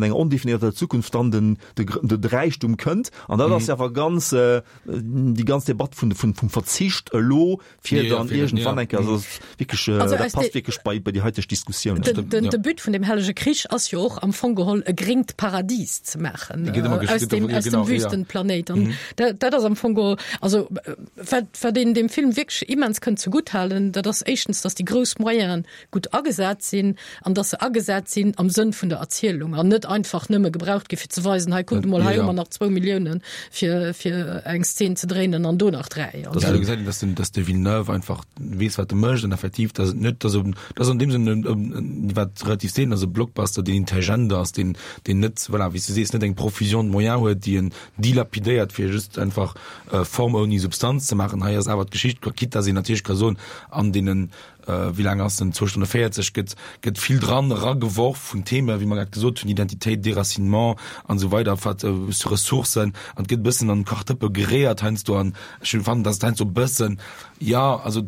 enger ondefinierter Zukunft dann den, de, de Räichtum kënnt. An dat ass jo awer ganz, déi ganz Debatt vun, vun, vum Verzicht elo, fir Ja, dann fir den, iergendwann ja. eng Kéier, also wierklech, Also dat aus passt de- wierklech bei, bei déi haiteg Diskussioun. Den, den, ja. de But vun dem hellege Krich ass jo och am Fong geholl e gréngt Paradies ze maachen, Geet ëmmer äh, gesch- aus geet dem, ëmmer- aus dem genau, ja. Wüstenplanéit. An dat, dat ass am Fong geholl, also, äh, wat, wat een dem Film wierklech immens kënnt zegutt halen, dat ass éischtens, dass déi grouss Moyenen gutt agesat sinn an dass se agesat sinn am Sënn vun der Erzielung an net einfach nëmme gebraucht gi fir ze weisen, hei kuckt emol, Ja, hei hu ja. mer nach zwou Milliounen fir, fir eng Szen ze dréinen an do nach dräi. Das ja, gesagt, dass den, dass de Villeneuve einfach weess wat e mécht an effektiv dass et net dass dass an deem Sënn en wat relativ seelen ass e Blockbuster deen intelligent ass deen deen net voilà, wéi s du sees net eng Profusion de moyens huet déi en dilapidéiert fir just einfach äh, Form ouni Substanz ze maachen. Hei ass awer d'Geschicht quitte dass een natierlech ka soen an deenen äh, wéi laang ass den zwou Stonne véierzeg gëtt gëtt vill dran erageworf vun Theme wéi mer grad gesot hunn Identitéit Déracinement an esou weider wat äh, Ressourcen an gëtt bëssen an Kachdëppe geréiert heiansdo an ech fannen dass et heiansdo bëssen ja also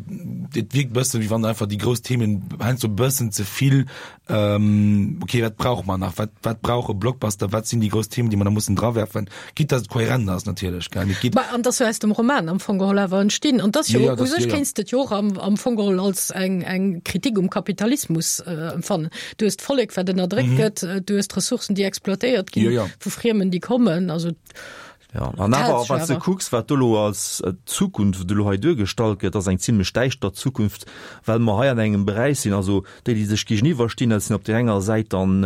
et wierkt bëssen wéi wann einfach déi grouss Themen heiansdo bëssen ze vill ähm, okay wat brauch man nach wat wat brauch e Blockbuster wat sinn déi grouss Themen déi mer da mussen drawerfen quitte dass et kohärent ass natierlech gell et geet Ma, an dass jo aus dem Roman am Fong geholl awer entstinn an das jo Ja, ja, das, u sech ja, ja. kéinst et jo och am, am Fong geholl als eng, eng Kritik um Kapitalismus äh, empfannen. Du hues d'Vollek wat ënnerdréckt gëtt, äh, du hues d'Ressourcen déi exploitéiert ginn Ja, ja. vu Friemen déi kommen, also Ja, an awer, D'Häerz wann s de awer. kucks, wat do elo als Zukunft elo hei duergestallt gëtt, ass eng zimlech däischter Zukunft, well mer hei an engem Beräich sinn, also déi, déi sech géigeniwwer stinn, dat sinn op där enger Säit dann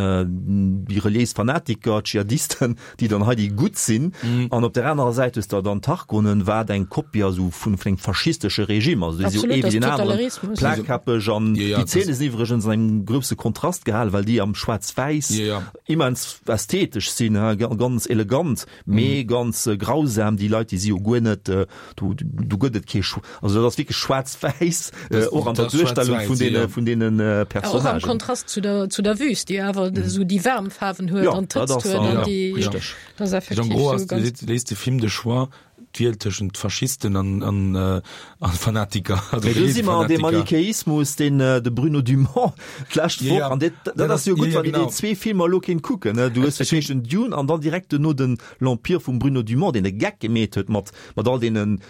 déi reliéis Fanatiker, d'Dschihadisten, déi dann hei déi Gutt sinn, an op där anerer Säit hues de dann d'Harkonnen, wat eng Kopie ass esou vun engem faschistesche Regime, also déi si jo Absolut, ee wéi das deen aneren, Totalitarismus. plakkappeg, an Ja, ja, déi Zeene das sinn iwwregens an engem grousse Kontrast gehalen, well déi am Schwaarz-Wäiss Ja, ja. immens ästhetesch sinn, ganz elegant, mee ganz grausam, déi Leit, déi si jo guer net, do, do gëtt et kee Schw-, also dat ass wierklech schwaarz-wäiss, och an der Duerstellung vun deene, vun deenen Personnagen. Och am Kontrast zu der, zu der Wüst, déi awer esou déi waarm Faarwen huet an d'Hëtzt huet an déi, richteg. Dat ass effektiv En gros esou ass, ganz. léisst de Film de Choix, d'Wiel tëschent Faschisten an, an, an Fanatiker. Also Mee do si mer an deem Fanatiker. Manichäismus, deen de Bruno Dumont d'lescht Ja, Woch, ja. an dat, dat Dat ass jo ass- gutt, ja, ja, wann een déi genau. zwee Filmer elo kéint kucken, ne? Du hues Ech fir d'éischt den Dune an dann direkt duerno den L'Empire vum Bruno Dumont, deen e Geck gemeet huet mat, mat all deenen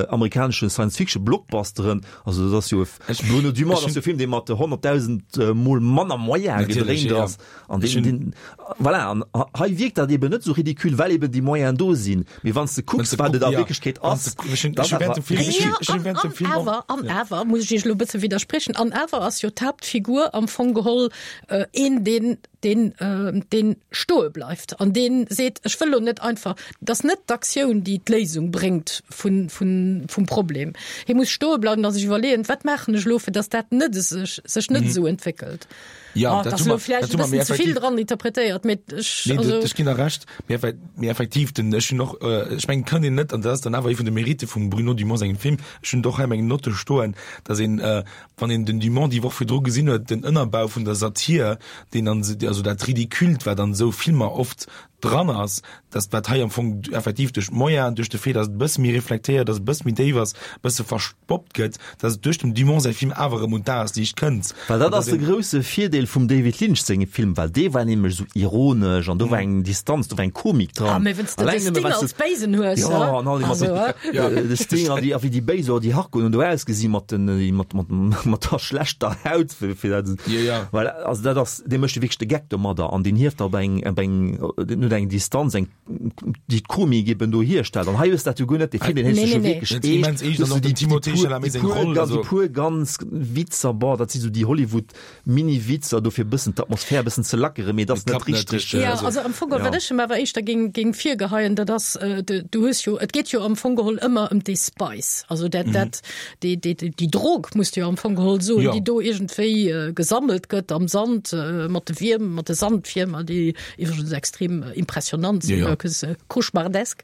amerikaneschen Science-Fiction-Blockbusteren. Also dat ass jo e Ech- Bruno Dumont, ech dat ass jo e hunn- Film, dee mat honnertdausend Mol manner Moyene Natierlech, gedréint ja, ja. ass. An Ech deen, hunn- deen, voilà, an hei wierkt dat eben net esou ridicule, well eben déi Moyenen do sinn. Mee wann s de kucks, Wann s de wat et a ja. Wierklechkeet Wann ass, s de- ech hunn- dann ech hunn während dem awer- Film- ech Ja, hunn- ech hunn während dem an, Film an och- awer, an awer, muss ech Iech elo e bësse widderspriechen, an awer ass jo d'Haaptfigur am Fong geholl, äh, een, deen, deen, äh, deen stoe bleift an deen seet, ech wëll lo net einfach, dat ass net d'Aktioun, déi d'Léisung bréngt vun, vun, vum Problem. Hie muss stoe bleiwen a sech iwwerleeën, wat maachen ech lo, fir dass dat net sech, sech net Mhm. esou entwéckelt. Ja, oh, dat dat hu ass elo mer- vläicht dat hu e mer, mee bëssen ze vill effektiv- dran interpretéiert, mee ech, Nee, also, dat, ech ginn der Recht, mee effe- mee effektiv, den, ech hunn och, äh, ech mengen, kann een net, an dat ass dann awer ee vun de Mérite vum Bruno Dumont sengem Film, ech hunn och hei meng Notte stoen, dass een, äh, wann een den Dumont déi Woch virdru gesinn huet, den Ënnerbau vun der Satir, deen an, also dat Ridicule, wat an esou Filmer oft dran ass, dass wat hei am Fong effektiv duerch d'Moyenen, duerch de Fait, dass et e bësse méi reflektéiert ass, e bësse méi déif ass, e bësse verspoppt gëtt, dass et duerch dem Dumont säi Film awer erëm un d'Dagesliicht kënnt. Well dat An ass de grousse Virdeel vum David Lynch sengem Film, well dee war nämlech esou ironesch an do war eng Distanz, do war eng Komik dran. Ah, mee wenn's de de Alleng nëmme Sting well s als Béisen hues, Ja, hä? an all déi mat Also, den, hä? ja, de Sting an déi, a wéi déi Béis oder déi Harkonnen do ausgesi mat den, mat, mat, mat der schlechter Haut, fir, fir dat, Ja, ja. Well, also dat ass, dee mécht jo wierklech de Geck domadder an deen hieft op eng, op eng, deen huet eng Distanz, eng, déi d'Komik eben do hierstellt. An hei hues dat jo guer net, dee Film, deen Nee, héchst nee, jo nee. wierklech Dat ass immens eescht, an och den Timothée Chalamet seng Roll, déi also- puer ganz Witzer, boah, dat si sou déi Hollywood-Mini-Witzer, dofir bëssen d'Atmosphär bëssen ze lackere, mee dat ass Et net klappt net richteg. richteg, Ja, also- also am Fong geholl, ja. wat ech em awer éischter géing, géing virgeheien, dat ass, äh, du, du hues jo, et geet jo am Fong geholl ëmmer ëm dee Spice. Also dat, mhm. dat, déi, déi, déi, déi Drog muss du jo am Fong geholl soen, Ja. déi do iergendwéi äh, gesammelt gëtt am Sand, äh, mat de Wierm, mat de Sandwiermer, déi iwwregens extrem äh, impressionant sinn, Ja, ja. wirklich, äh, cauchemardesk.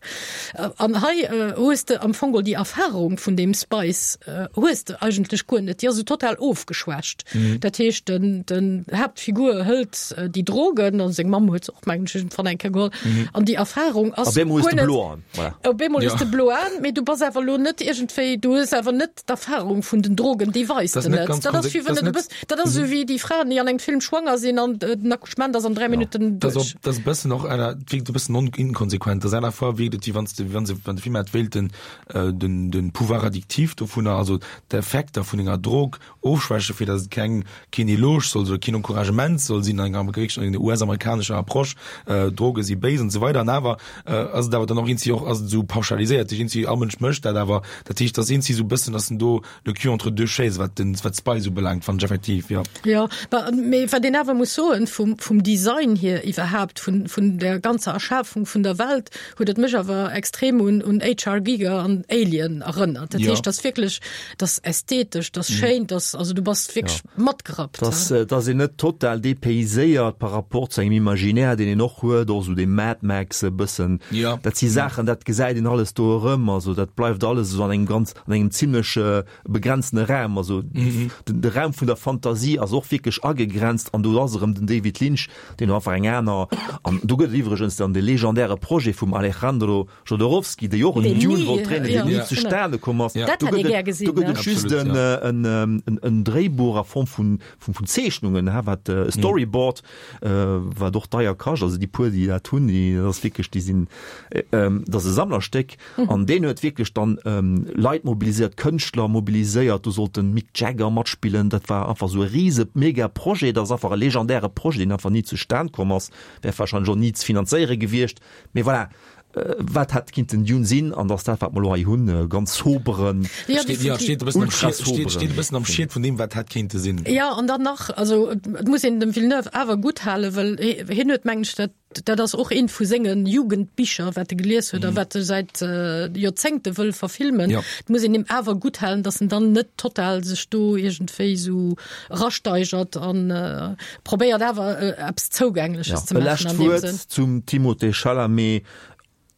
Äh, an hei äh, hues de am Fong geholl déi Erfahrung vun deem Spice, äh, hues de eigentlech guer net. Déi ass sou total ofgeschwächt. Mhm. Dat heescht, den, den Haaptfigur hëlt äh, déi Drogen, an seng Mamm huet se och mengen ech iergendwann eng Kéier geholl. Mhm. An déi Erfahrung ass Op eemol hues guer de net- blo Aen, voilà. Op eemol Ja. hues de blo Aen, mee du bass awer lo net iergendwéi, du hues awer net d'Erfahrung vun den Drogen, déi weis Das de net net. ganz Dat ass konse- wéi wann das du net- bist, dat ass sou wéi déi Fraen, déi an engem Film schwanger sinn an äh, den Accouchement ass an dräi Minutten Das duerch. och, das e bëssen och einer, wierkt e bëssen non inkonsequent. Das einer vor wierkt et, wéi wann de, wann se, wann de Film hat wéilt den, äh, den, den Pouvoir addictif dovunner, also d'Effekter vun enger Drog ofschwäche fir dass et keng, keen Eloge soll, oder keen Encouragement soll sinn, an enger amerikanescher, enger U S-amerikanescher Approche, äh, Droge si béis und so weiter. An awer, äh, also da dann och irgendwie och, also sou pauschaliséiert, irgendwie all Mënsch mécht dat, awer dat heescht, dass irgendwie sou bëssen, dass en do le cul entre deux chaises, wat den, wat Spice ubelaangt, fand ech effektiv, ja. Ja, ba, mee wat een awer muss soen, vum, vum Design hier iwwerhaapt, vun, vun der ganzer Erschafung vun der Welt, huet et mech awer extrem un, un H R Giger an Alien erënnert. Dat Ja. heescht, das wierklech, das ästhetesch, das schéin, das, also du bass wierklech Ja. matgerappt, Dass, ja. äh, dass een net total dépayséiert par rapport zu engem Imaginaire, deen een och huet, och sou de Mad Max e bëssen. Ja. Dat si Saachen, dat gesäit een alles do erëm, also dat bleift alles sou an engem ganz, an engem zimmlech, äh, begrenzte Raum, also Mhm. den, de Raum vun der Fantasie ass och wierklech agegrenzt an do ass erëm den David Lynch, deen einfach eng aner, an do gëtt et iwwregens dann de legendäre Projet vum Alejandro Jodorowsky, dee jo och en Deen Dune nie, wollt dréinen, ja. deen ni Ja. zustane komm ass. Ja. Dat Do hätt gëtt ee et gär gesinn, do gëtt ne? et just Absolut, en, ja. äh, en, ähm, en, en Dréibuch a Form vun, vun, vun Zeechnungen, ha, wat, äh, Storyboard, äh, wat och deier kascht, also déi puer, déi dat hunn, déi, dat ass wierklech, déi sinn, äh, ähm, dat ass e Sammlerstéck. An deen huet wierklech dann, ähm, Leit mobiliséiert, Kënschtler mobiliséiert, do sollt den Mick Jagger matspillen, dat war einfach sou e riese mega Projet, dat ass einfach e legendäre Projet, deen einfach ni zustan komm ass, wär warscheinlech och ni ze finanzéiere gewiescht. Mee voilà, äh, wat hätt kinnten Dune sinn, an dat ass dat, wat mer lo hei hunn, äh, ganz soberen, Ja, Steet, ja, definitiv. steet e bëssen am Ultra Schied, steet, soberen. steet e bëssen am Schied vun deem, wat hätt kéinte sinn. Ja, an dann nach, also et muss een dem Villeneuve awer gutt halen, well hien huet mengen ech dat, dat ass och eent vu sengen Jugendbicher, wat e gelies huet, mm. wat e säit äh, Joerzéngte wëll verfilmen. Ja. Et muss een him awer gutt halen, dass en dann net total sech do iergendwéi sou rasteigert an äh, probéiert awer äh, eppes Zougängleches Ja. ze E maachen lescht an deem Wuert Sënn. zum Timothée Chalamet.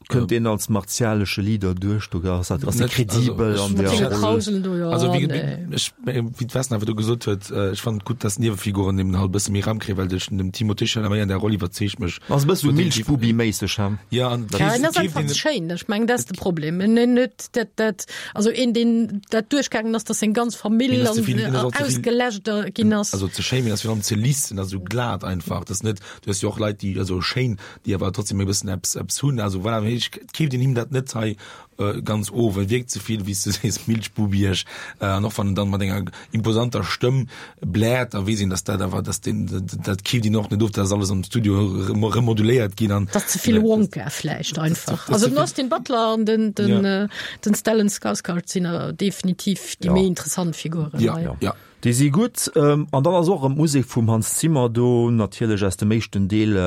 Kënnt deen als martialesche Leader duerch, do ass dat, ass Net, kredibel also, an Mat der senge Roll. Krauselen do, ja, Also, wéi, nee. wéi, ech, wéi d'Wesna awer do gesot huet, äh, ech fand gutt, dass Niewefiguren eben halt bësse méi Raum kréien, well duerch den Timothée Chalamet an der Roll iwwerzeegt mech. Ass e bësse Definitiv. Milchbubi-méisseg, ha? Ja, an Ja, en ass keeft einfach een- schéin, ech mengen, dat ass de Problem. En en net dat, dat, also een, deen dat duerchgaangen ass, dass seng ganz Famill Mee ass ze an, vill- äh, ass och ze vill- ausgeläscht ginn ass. Also ze schéin, mee ass virun allem ze liss, en ass sou glat einfach. Das net, du hues jo och Leit, déi, also schéin, déi awer trotzdem e bëssen eppes, eppes hunn. Also voilà, mee ech keeft een him dat net hei, äh, ganz of, well wierkt ze vill, wéi s du sees, Milchbubiech. Äh, an och wann en dann mat enger imposanter Stëmm bläert, da weess een, dass dat awer, dass den, dat, dat keeft een och net of, dat ass alles am Studio rem-, remoduléiert ginn an Dat ass ze vill Wonka vläicht einfach. das Also ze den vill- Austin Butler an den, den, Ja. äh, den Stellan Skarsgård sinn awer definitiv déi Ja. méi interessant Figuren Ja, hei. ja. Déi si gutt. An dann ass och erëm d'Musek vum Hans Zimmer do, natierlech aus dem éischten Deel,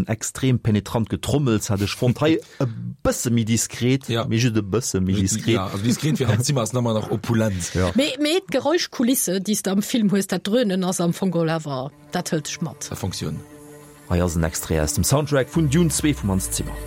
extrem penetrant Getrommels hat ech fonnt. Hei e bësse méi diskret, mee just e bësse méi diskret. Ja, also diskret fir Hans Zimmer ass nach ëmmer nach opulent. Ja. Mee, mee d'Geräuschkulisse, déi s de am Film hues, dat Dröhnen ass am Fong geholl awer, dat hëlt dech mat. Dat fonctionne. Hei ass en Extrait aus dem Soundtrack vun Dune zwee vum Hans Zimmer.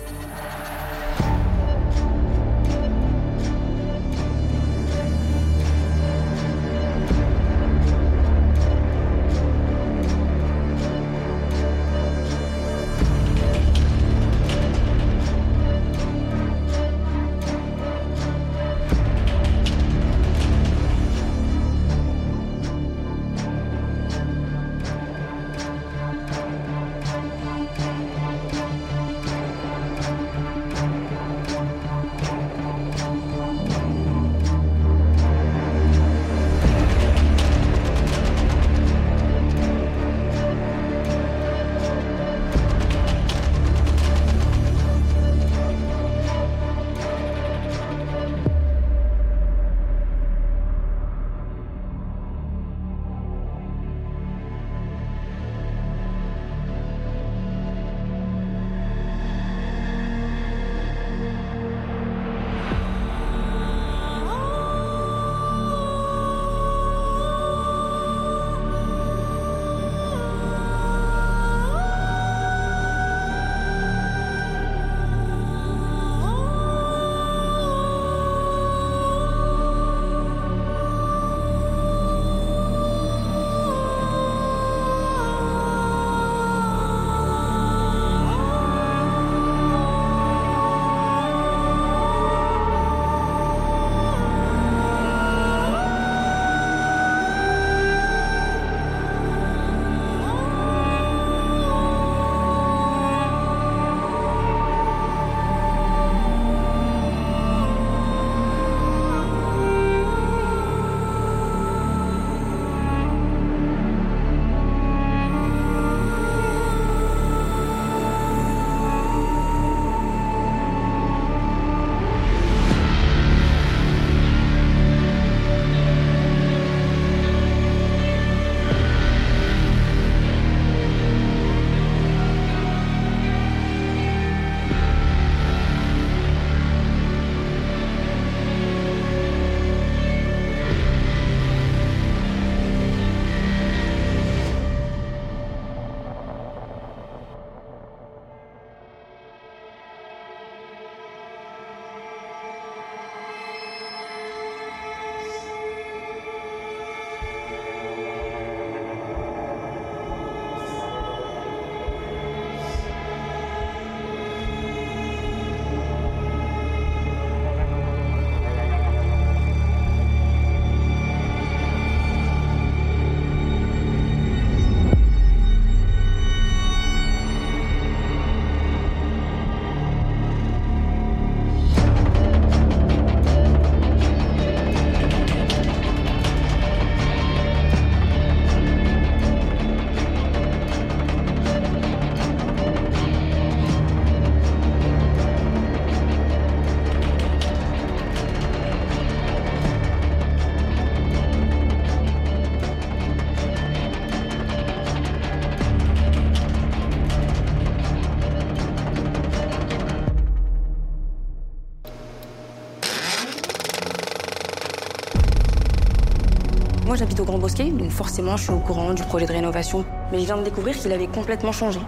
Moi j'habite au Grand Bosquet, donc forcément je suis au courant du projet de rénovation. Mais je viens de découvrir qu'il avait complètement changé.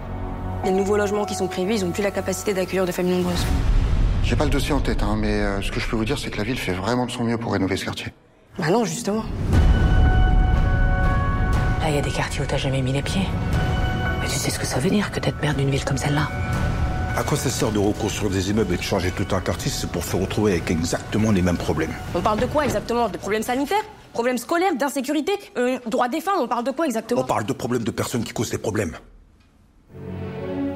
Les nouveaux logements qui sont prévus, ils ont plus la capacité d'accueillir de familles nombreuses. J'ai pas le dossier en tête, hein, mais euh, ce que je peux vous dire, c'est que la ville fait vraiment de son mieux pour rénover ce quartier. Bah non, justement. Là, il y a des quartiers où t'as jamais mis les pieds. Mais tu sais ce que ça veut dire que d'être maire d'une ville comme celle-là À quoi ça sert de reconstruire des immeubles et de changer tout un quartier, c'est pour se retrouver avec exactement les mêmes problèmes. On parle de quoi exactement Des problèmes sanitaires Problèmes scolaires, d'insécurité, euh, droit des femmes, on parle de quoi exactement On parle de problèmes de personnes qui causent des problèmes.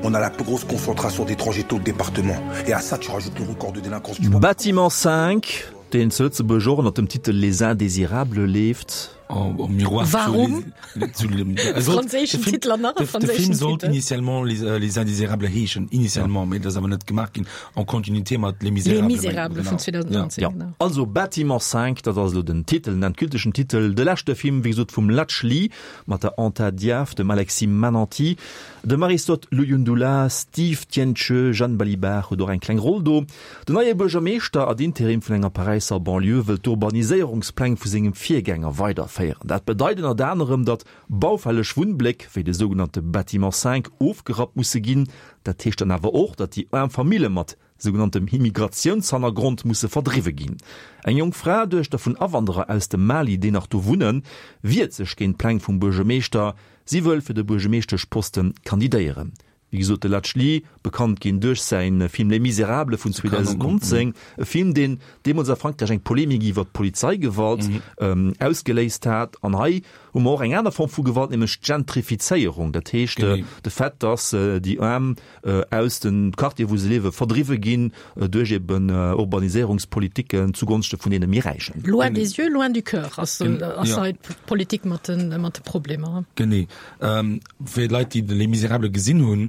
On a la plus grosse concentration d'étrangers tout le département. Et à ça, tu rajoutes le record de délinquance du Bâtiment cinq, deen zu Lëtzebuerg och ënner dem Titel Les Indésirables leeft. en, en miroir Warum? Zu, zu, zu, Franséischen Titel an nach e de, de franséischen Film sollt Titel. initialement Les, äh, Les Indésirables heeschen, initialement, mee dat ass awer net gemaach ginn, en Continuité mat Les Les Misérables. Misérables vun Genau. zweedausendneunzéng, Ja. genau. Also Bâtiment cinq, dat ass elo den Titel, den endgültegen Titel, de leschte Film, wéi gesot, vum Ladj Ly, mat der Anta Diaf, dem Alexis Manenti, dem Aristote Luyundula, Steve Tientcheu, Jeanne Balibar huet och eng kleng Roll do. Den neie Buergermeeschter ad interim vun enger Paräisser Banlieue wëll d'Urbaniséierungspläng vu sengem Virgänger weiderféieren. Dat bedeit ënnert anerem, datt baufälleg Wunnbléck, wéi de sougenannte Bâtiment cinq, ofgerappt musse ginn. Dat heescht dann awer och, datt déi aarm Famille mat sougenanntem Immigratiounshannergrond musse verdriwwe ginn. Eng jonk Fra, Duechter vun Awanderer aus dem Mali, déi nach do wunnen, wiert sech géint d'Pläng vum Buergermeeschter. Si wëll fir de Buergermeeschteschposten kandidéieren. Wéi gesot, de Ladj Ly, bekannt ginn duerch säi Film Les Misérables vun zweedausendneunzéng, e Film, deen deemools a Frankräich eng Polemik iwwer d'Polizeigewalt ausgeléist hat. An hei hu mer och eng aner Form vu Gewalt, nämlech d'Gentrifizéierung. Dat heescht, de Fait, datt déi Aarm aus de Quartieren, wou se liewen, verdriwwe ginn duerch eben Urbaniséierungspolitiken zugonschte vun deene méi Räichen. Loin des yeux, loin du cœur ass hei d'Politik mat de Problemer. Genee. Fir d'Leit, déi Les Misérables gesinn hunn,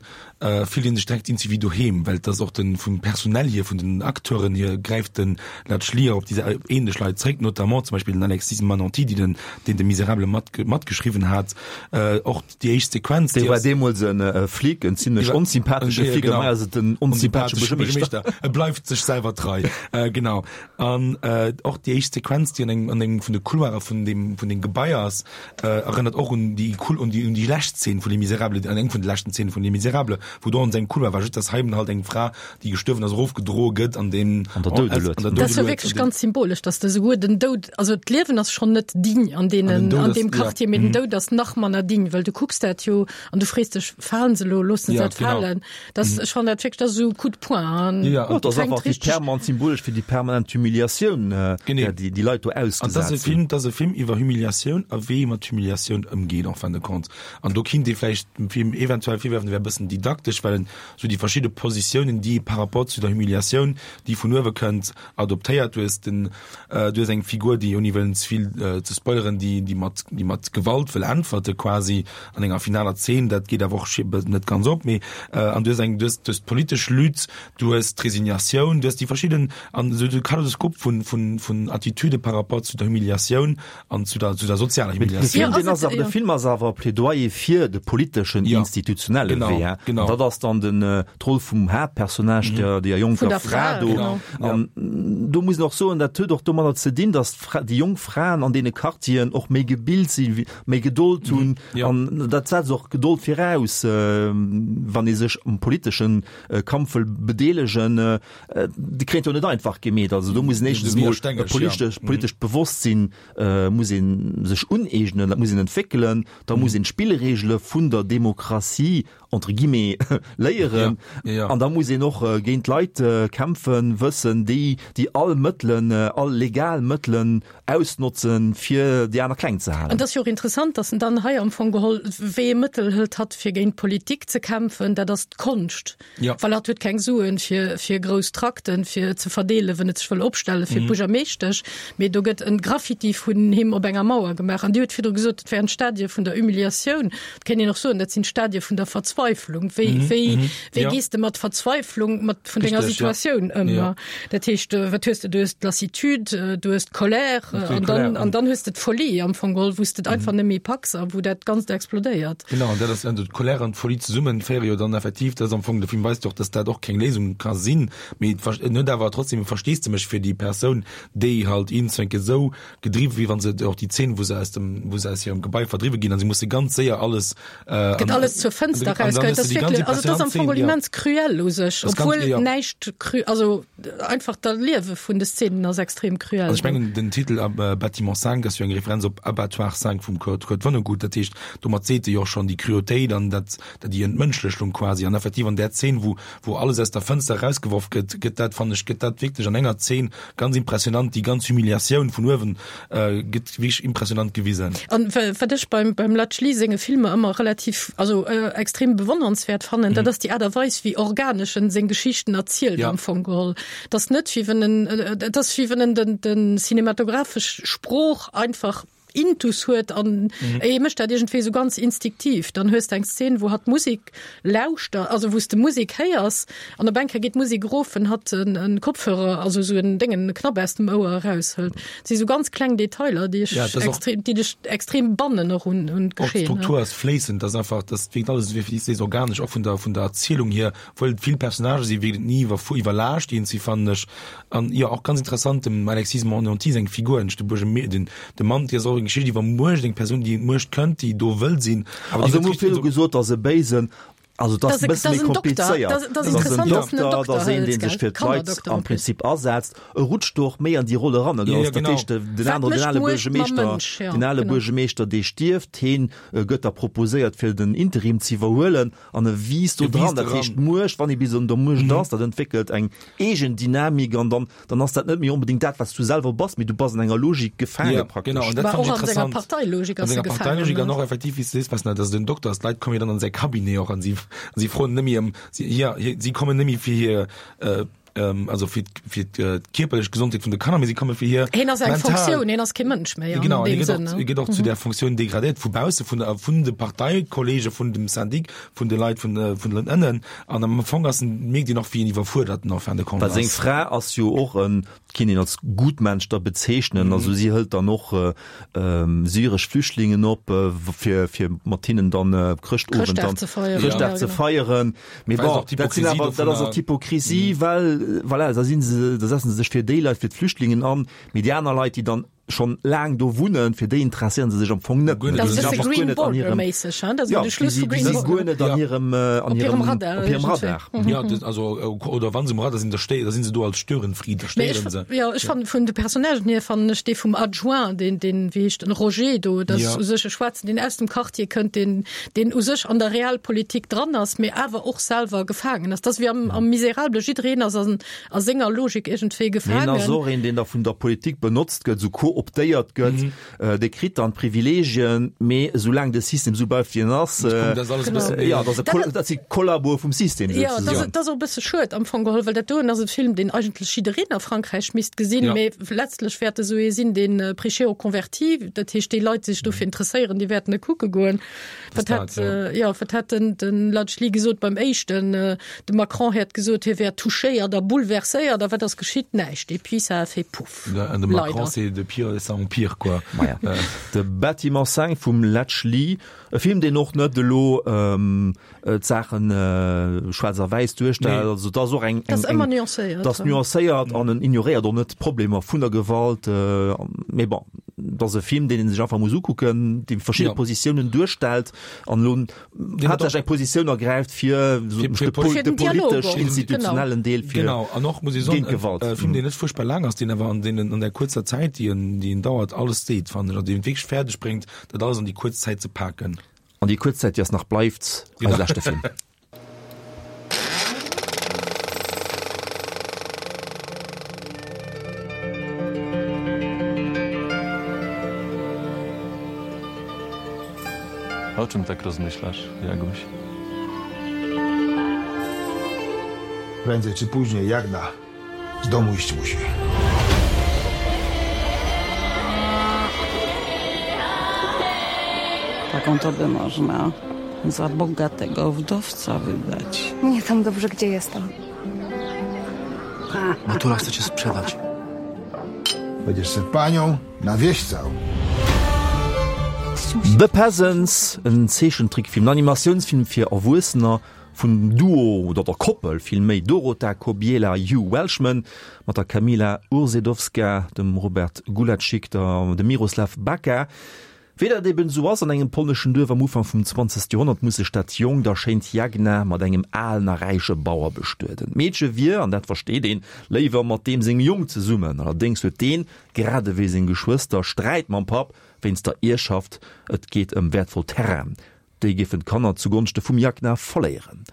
fillt een sech direkt iergendwéi doheem, well et ass och den, vum Personnel hier, vun den Acteuren hier, gräift den Ladj Ly op déi ähnlech Leit zréck, notamment zum Beispill den Alexis Manenti, déi den, deen de Miserable mat, matgeschriwwen hat. Och déi éischt Sequenz, Dee war deemools en Flic, en zimlech onsympathesche Flic, an hei ass et en onsympathesche Buergermeeschter. E bleift sech selwer trei. Genau. An och déi éischt Sequenz, déi an engem, an engem vun de Couloire vun deem, vun den Gebaier ass, erënnert och un déi, un déi, un déi lescht Szene vun Les Misérables, an eng vun de leschten Szene vun Les Misérables, wou do an sengem Couloir war, just dass hei halt eng Fra, déi gestuerwen ass, erofgedroe gëtt an dem An der Doudelued. an der Dat ass jo Doudelued, wierklech an dem ganz symbolesch, dass de souguer den Doud, also d'Liewen ass schonn net digne an deenen, An den Doud an ass, deem ja. Quartier, mee den Doud ass nach manner digne, well du kucks dat jo an du frees dech, falen se elo, loossen se Ja, dat genau. falen? Das, ech fannen dat wierklech, dat ass esou Coup de poing an Ja, ja, Ja, dat ass fänkt einfach déi richteg permanent symbolesch fir déi permanent Humiliatioun, äh, Genee. där déi, déi Leit do An dat ass ausgesat e sinn. Film, dat ass e Film iwwer Humiliatioun a wéi ee mat Humiliatioun ëmgeet en fin de compte. An do kinnt ee vläicht dem Film eventuell virwerfen, e wär e bëssen didaktesch, well en sou déi verschidde Positiounen, déi par rapport zu der Humiliatioun, déi vun uewe kënnt, adoptéiert. Du hues den, äh, du hues eng Figur, déi ouni wëllen ze vill, äh, ze spoileren, déi, déi mat, déi mat Gewalt wëll äntwerte quasi an enger finaler Zeen, dat geet awer och net ganz op, mee, äh, an du hues eng, du hues, du hues d'politesch Lutte, du hues d'Resignatioun, du hues déi verschidden, an sou de Kaleidoskop vun, vun, vun Attitüde par rapport zu der Humiliatioun an zu der, zu der sozialer De Humiliatioun. Film, Ja, den ass ass et, awer, de ja. Film ass awer Plädoyer fir de politeschen, Ja. institutionelle Genau, Wee, hein. genau. An dat ass dann den, äh, d'Roll vum Haaptpersonnage, der, der jonker Vun der Fra Fra, do. genau. An do muss een och soen, dat huet och domadder ze dinn, dass d'Fra, déi jonk Fraen an deene Quartieren och méi gebilt sinn, wéi, méi Gedold hunn. Ja. An dat setzt och Gedold viraus, äh, wann ee sech am politeschen, äh, Kampf wëll bedeelegen, äh, déi kréien jo net einfach gemeet. Also do muss een éischtens De mol Widerstängeg, e politesch, ja. politescht Bewosstsinn, äh, muss een sech uneegnen, dat muss een entwéckelen, da muss een d'Spillregele vun der Demokratie entre guillemets léieren. Ja, ja, ja. An da muss een och, äh, géint Leit, äh, kämpfen wëssen, déi, déi all Mëttelen, äh, all legal Mëttelen ausnotzen, fir déi aner kleng ze halen. An dat ass jo och interessant, dass en dann hei am Fong geholl, wéi ee Mëttel hëlt hatt fir géint d'Politik ze kämpfen, dat ass d'Konscht. Ja. Well hatt huet keng Suen fir, fir grouss Trakten, fir ze verdeelen, wann et sech wëll opstellen fir d'Buergermeeschtesch. Mee do gëtt en Graffiti vun him op enger Mauer gemaach. An Dir hutt virdru gesot, dat wären Stadie vun der Humiliatioun. Dat kéint een och soen, dat sinn Stadie vun der Verzweiflung. Wéi, wéi, wéi ja. gees de mat Verzweiflung, mat vun denger Richtig, ja. Situatioun ëm? Ja. Dat heescht, äh, wat hues de? Du hues d'Lassitude, äh, du hues d'Colère, äh, Natürlich an dann, Colère, an dann hues de d'Folie am Fong geholl, wou s de einfach net méi packs a wou dat Ganzt explodéiert. Genau, an dat ass, an d'Colère an d'Folie zesummen féiere jo dann effektiv, dass am Fong de Film weist jo och, dass dat och keng Léisung ka sinn, mee et ver-, net awer trotzdem Versteesdemech fir déi Persoun, déi halt iergendzwenke sou gedriwwen, wéi wann se och déi Zeen, wou se aus dem, wou se aus hirem Gebai verdriwwe ginn, an se musse ganz séier alles, äh, Gëtt an- alles zur Fënster an dann rausgeheit. hues du Das déi ganz wirklich, also das ass am Fong impressionant Szene, ja. immens cruel u sech, Das ganz, obwohl ja. näischt cru-, also einfach dat Liewe vun de Szenen ass extrem cruel. Also ech mengen, den Titel äh, Bâtiment cinq ass jo eng Referenz op Abattoir cinq vum Kurt, Kurt Vonnegut, dat heescht, domat seet e jo schonn déi Cruautéit an dat, dat déi Entmënschlechung quasi. An effektiv an där Szene, wou, wou alles aus der Fënster rausgeworf gëtt, gëtt dat, fannen ech, gëtt dat wierklech an enger Szene ganz impressionant, déi ganz Humiliatioun vun uewen, äh, gëtt wierklech impressionant gewisen. An wa-, wat ech beim, beim Ladj Ly senge Filmer ëmmer relativ, also, äh, extrem bewonnernswäert fannen, dat ass déi Aart a Weis, wéi organesch en seng Geschichten erzielt Ja. am Fong geholl. Dat ass net wéi wann en, äh, dat ass wéi wann en den, den cinematographesch Sprooch einfach intus huet an mhm. e mécht dat iergendwéi sou ganz instinktiv. Dann hues de eng Szene, wou hatt Musik lauschtert, also wou s de Musik héiers an op eng Kéier geet d'Musik erof, wenn hatt en, en Kopfhörer, also sou en Déngen, e Knapp aus dem Ouer eraushëlt. Dat si sou ganz kleng Detailer, déi ech ja, extrem, déi dech extrem bannen och un, un d'Geschehen. D'Struktur ass fléissend, dat ass einfach, dat wierkt alles wéi wéi sees organesch, och vun der, vun der Erzielung hier, obwuel et vill Personnagë sinn, wierkt et ni iwwer, iwwerlaascht iergendwéi, fannen ech. An jo, och ganz interessant dem Alexis Montandon seng Figur, de Buergermee, den, de Mann, déi ass och eng Geschicht iwwer Muecht, eng Persoun, déi un d'Muecht kënnt, déi do wëll sinn, awer déi net richteg. Also, gesot, ass e Béisen, also dat ass e bësse méi komplizéiert. Dat ass en Dokter, dat ass een, dee sech fir d'Leit am Prinzip asetzt. E rutscht do och méi an déi Roll eran. Dat ass dat heescht, den aneren, den ale Buergermeeschter, den ale Buergermeeschter, dee stierft, heen gëtt da proposéiert, fir den Interim ze iwwerhuelen an e wiisst do dran. Dat heescht, d'Muecht, wann ee bis an der Muecht ass, dat entwéckelt eng eegen Dynamik an dann dann ass dat net méi onbedéngt dat, wat s du selwer bass, mee du bass an enger Logik gefaange ja, praktesch. Genau, an dat fand ech interessant. An senger Parteilogik ass e gefaangen. An senger Parteilogik an och effektiv, wéi s du sees, Vesna, dass et en Dokter ass. D'Leit komme jo dann an säi Cabinet och an si, si froen net méi ëm, si, ja, si kommen net méi fir hir, äh, also fir, fir d'kierperlech Gesondheet vun de Kanner, mee si komme fir hir Hien ass eng Funktioun, hien ass kee Mënsch méi an genau, deem Sënn. Hie gëtt och zu där Funktioun degradéiert vu bausse, vun der, vun de Parteikollege, vun dem Syndic, vun de Leit vun, vun den ënnen. An am Fong ass en, mierkt een och, wéi en iwwerfuerdert en en fin de compte ass. Well seng Fra ass jo och en, kinnt een als Gutmensch da bezeechnen. Also si hëlt dann och syresch Flüchtlingen op, fir, fir mat hinnen dann Chrëschtowend dann Chrëschtdag ze feieren. Mee bon, dat sinn awer, dat ass och d'Hypokrisie, well voilà, da sinn se, da setzen se sech fir déi Leit, fir d'Flüchtlingen an, mee déi aner Leit, déi dann schonn laang do wunnen, fir déi interesséieren se sech am Fong net. Dat ass e bësse Green Border-méisseg, hein? Dat ass Ja, de Schluss déi vu Green si Border. guer net an hirem, an Op hirem hirem, Radar op hirem iergendwéi. Radar. Ja, dat, also, oder wann se um Radar sinn, da sté, da sinn se do als Störenfried, da Mee ech, stéieren se. ja, ech fannen vun de Personnagen hier fannen ech dee vum Adjoint, deen, deen, wéi heescht en, Roger do, dat ass Ja. u sech e Schwaarzen, deen aus dem Quartier kënnt, deen, deen u sech an der Realpolitik dran ass, mee awer och selwer gefaangen ass. Dat ass wéi am, am Miserable, jiddereen ass an, a senger Logik iergendwéi Mee en ass gefaangen. och een, deen da vun der Politik benotzt gëtt, esou kooptéiert gëtt. Dee kritt dann d'Privilegien, mee esoulaang de System esou bleift, wéi en ass, jo, dat ass e Kol-, dat si Kollaboe vum System Jo, dat ass, souzesoen. dat ass och e bësse schued am Fong geholl, well dat doen ass e Film, deen eigentlech jiddereen a Frankräich misst gesinn, mee letztlech wäert e sou ee sinn, deen prêché aux convertis, dat heescht, déi Leit, déi sech dofir interesséieren, déi wäerten e kucke goen. Wat hat, jo, wat hat den, den Ladj Ly gesot beim éischten? De Macron hätt gesot, hie wär touchéiert a bouleverséiert, a wat ass geschitt? Näischt. Et puis ça a fait pouf. An de Macron, Leider. c'est de pire en pire, quoi. Maja. De Bâtiment cinq vum Ladj Ly, e Film, deen och net elo d'Saachen schwaarz a wäiss duerstellt. Nee. Also dat ass och eng, Dat ass eng, ëmmer nuancéiert. dat ass nuancéiert an en ignoréiert och net d'Problemer vun der Gewalt. Mee bon, dat ass e Film, deen ee sech einfach muss ukucken, dee verschidde Ja. Positiounen duerstellt an elo haaptsächlech eng Positioun ergräift fir Fir- fir de, pol Fir de den Dialog politesch och, genau. institutionellen Deel fir Genau, an och muss ich soen, géint Gewalt. e Film, deen net furchtbar laang ass, deen awer an deenen, an der kuerzer Zäit, déi en, déi en dauert, alles seet, fannen ech, an deen et wierklech fäerdeg bréngt, dat alles an déi kuerz Zäit ze paken. An déi kuerz Zäit, déi ass nach bleift, eise leschte Film. O czym tak rozmyślasz, Jaguś? Prędzej czy później Jagna z domu iść musi. Taką to by można za bogatego wdowca wydać. Mnie tam dobrze, gdzie jestem. Matura chce cię sprzedać. Będziesz se panią na wieś całą. The Peasants, en Zeechentrickfilm, en Animatiounsfilm fir Erwuessener vun Duo, oder der Koppel villméi, Dorota Kobiela, Hugh Welchman, mat der Kamila Urzedowska, dem Robert Gulaczyk, der dem Miroslaw Baka. Wéi dat eben esou ass an engem polneschen Duerf am Ufank vum zwanzegste Joerhonnert, muss sech dat jonkt a schéint Jagna mat engem alen a räiche Bauer bestueden. D'Meedche wier, an dat versteet een, léiwer mat deem sengem Jong zesummen. Allerdéngs huet deen, grad ewéi seng Geschwëster, Sträit mam Papp wéinst der Ierschaft. Et geet ëm wäertvoll Terrainen, déi géifen d'Kanner zugonschte vum Jagna verléieren.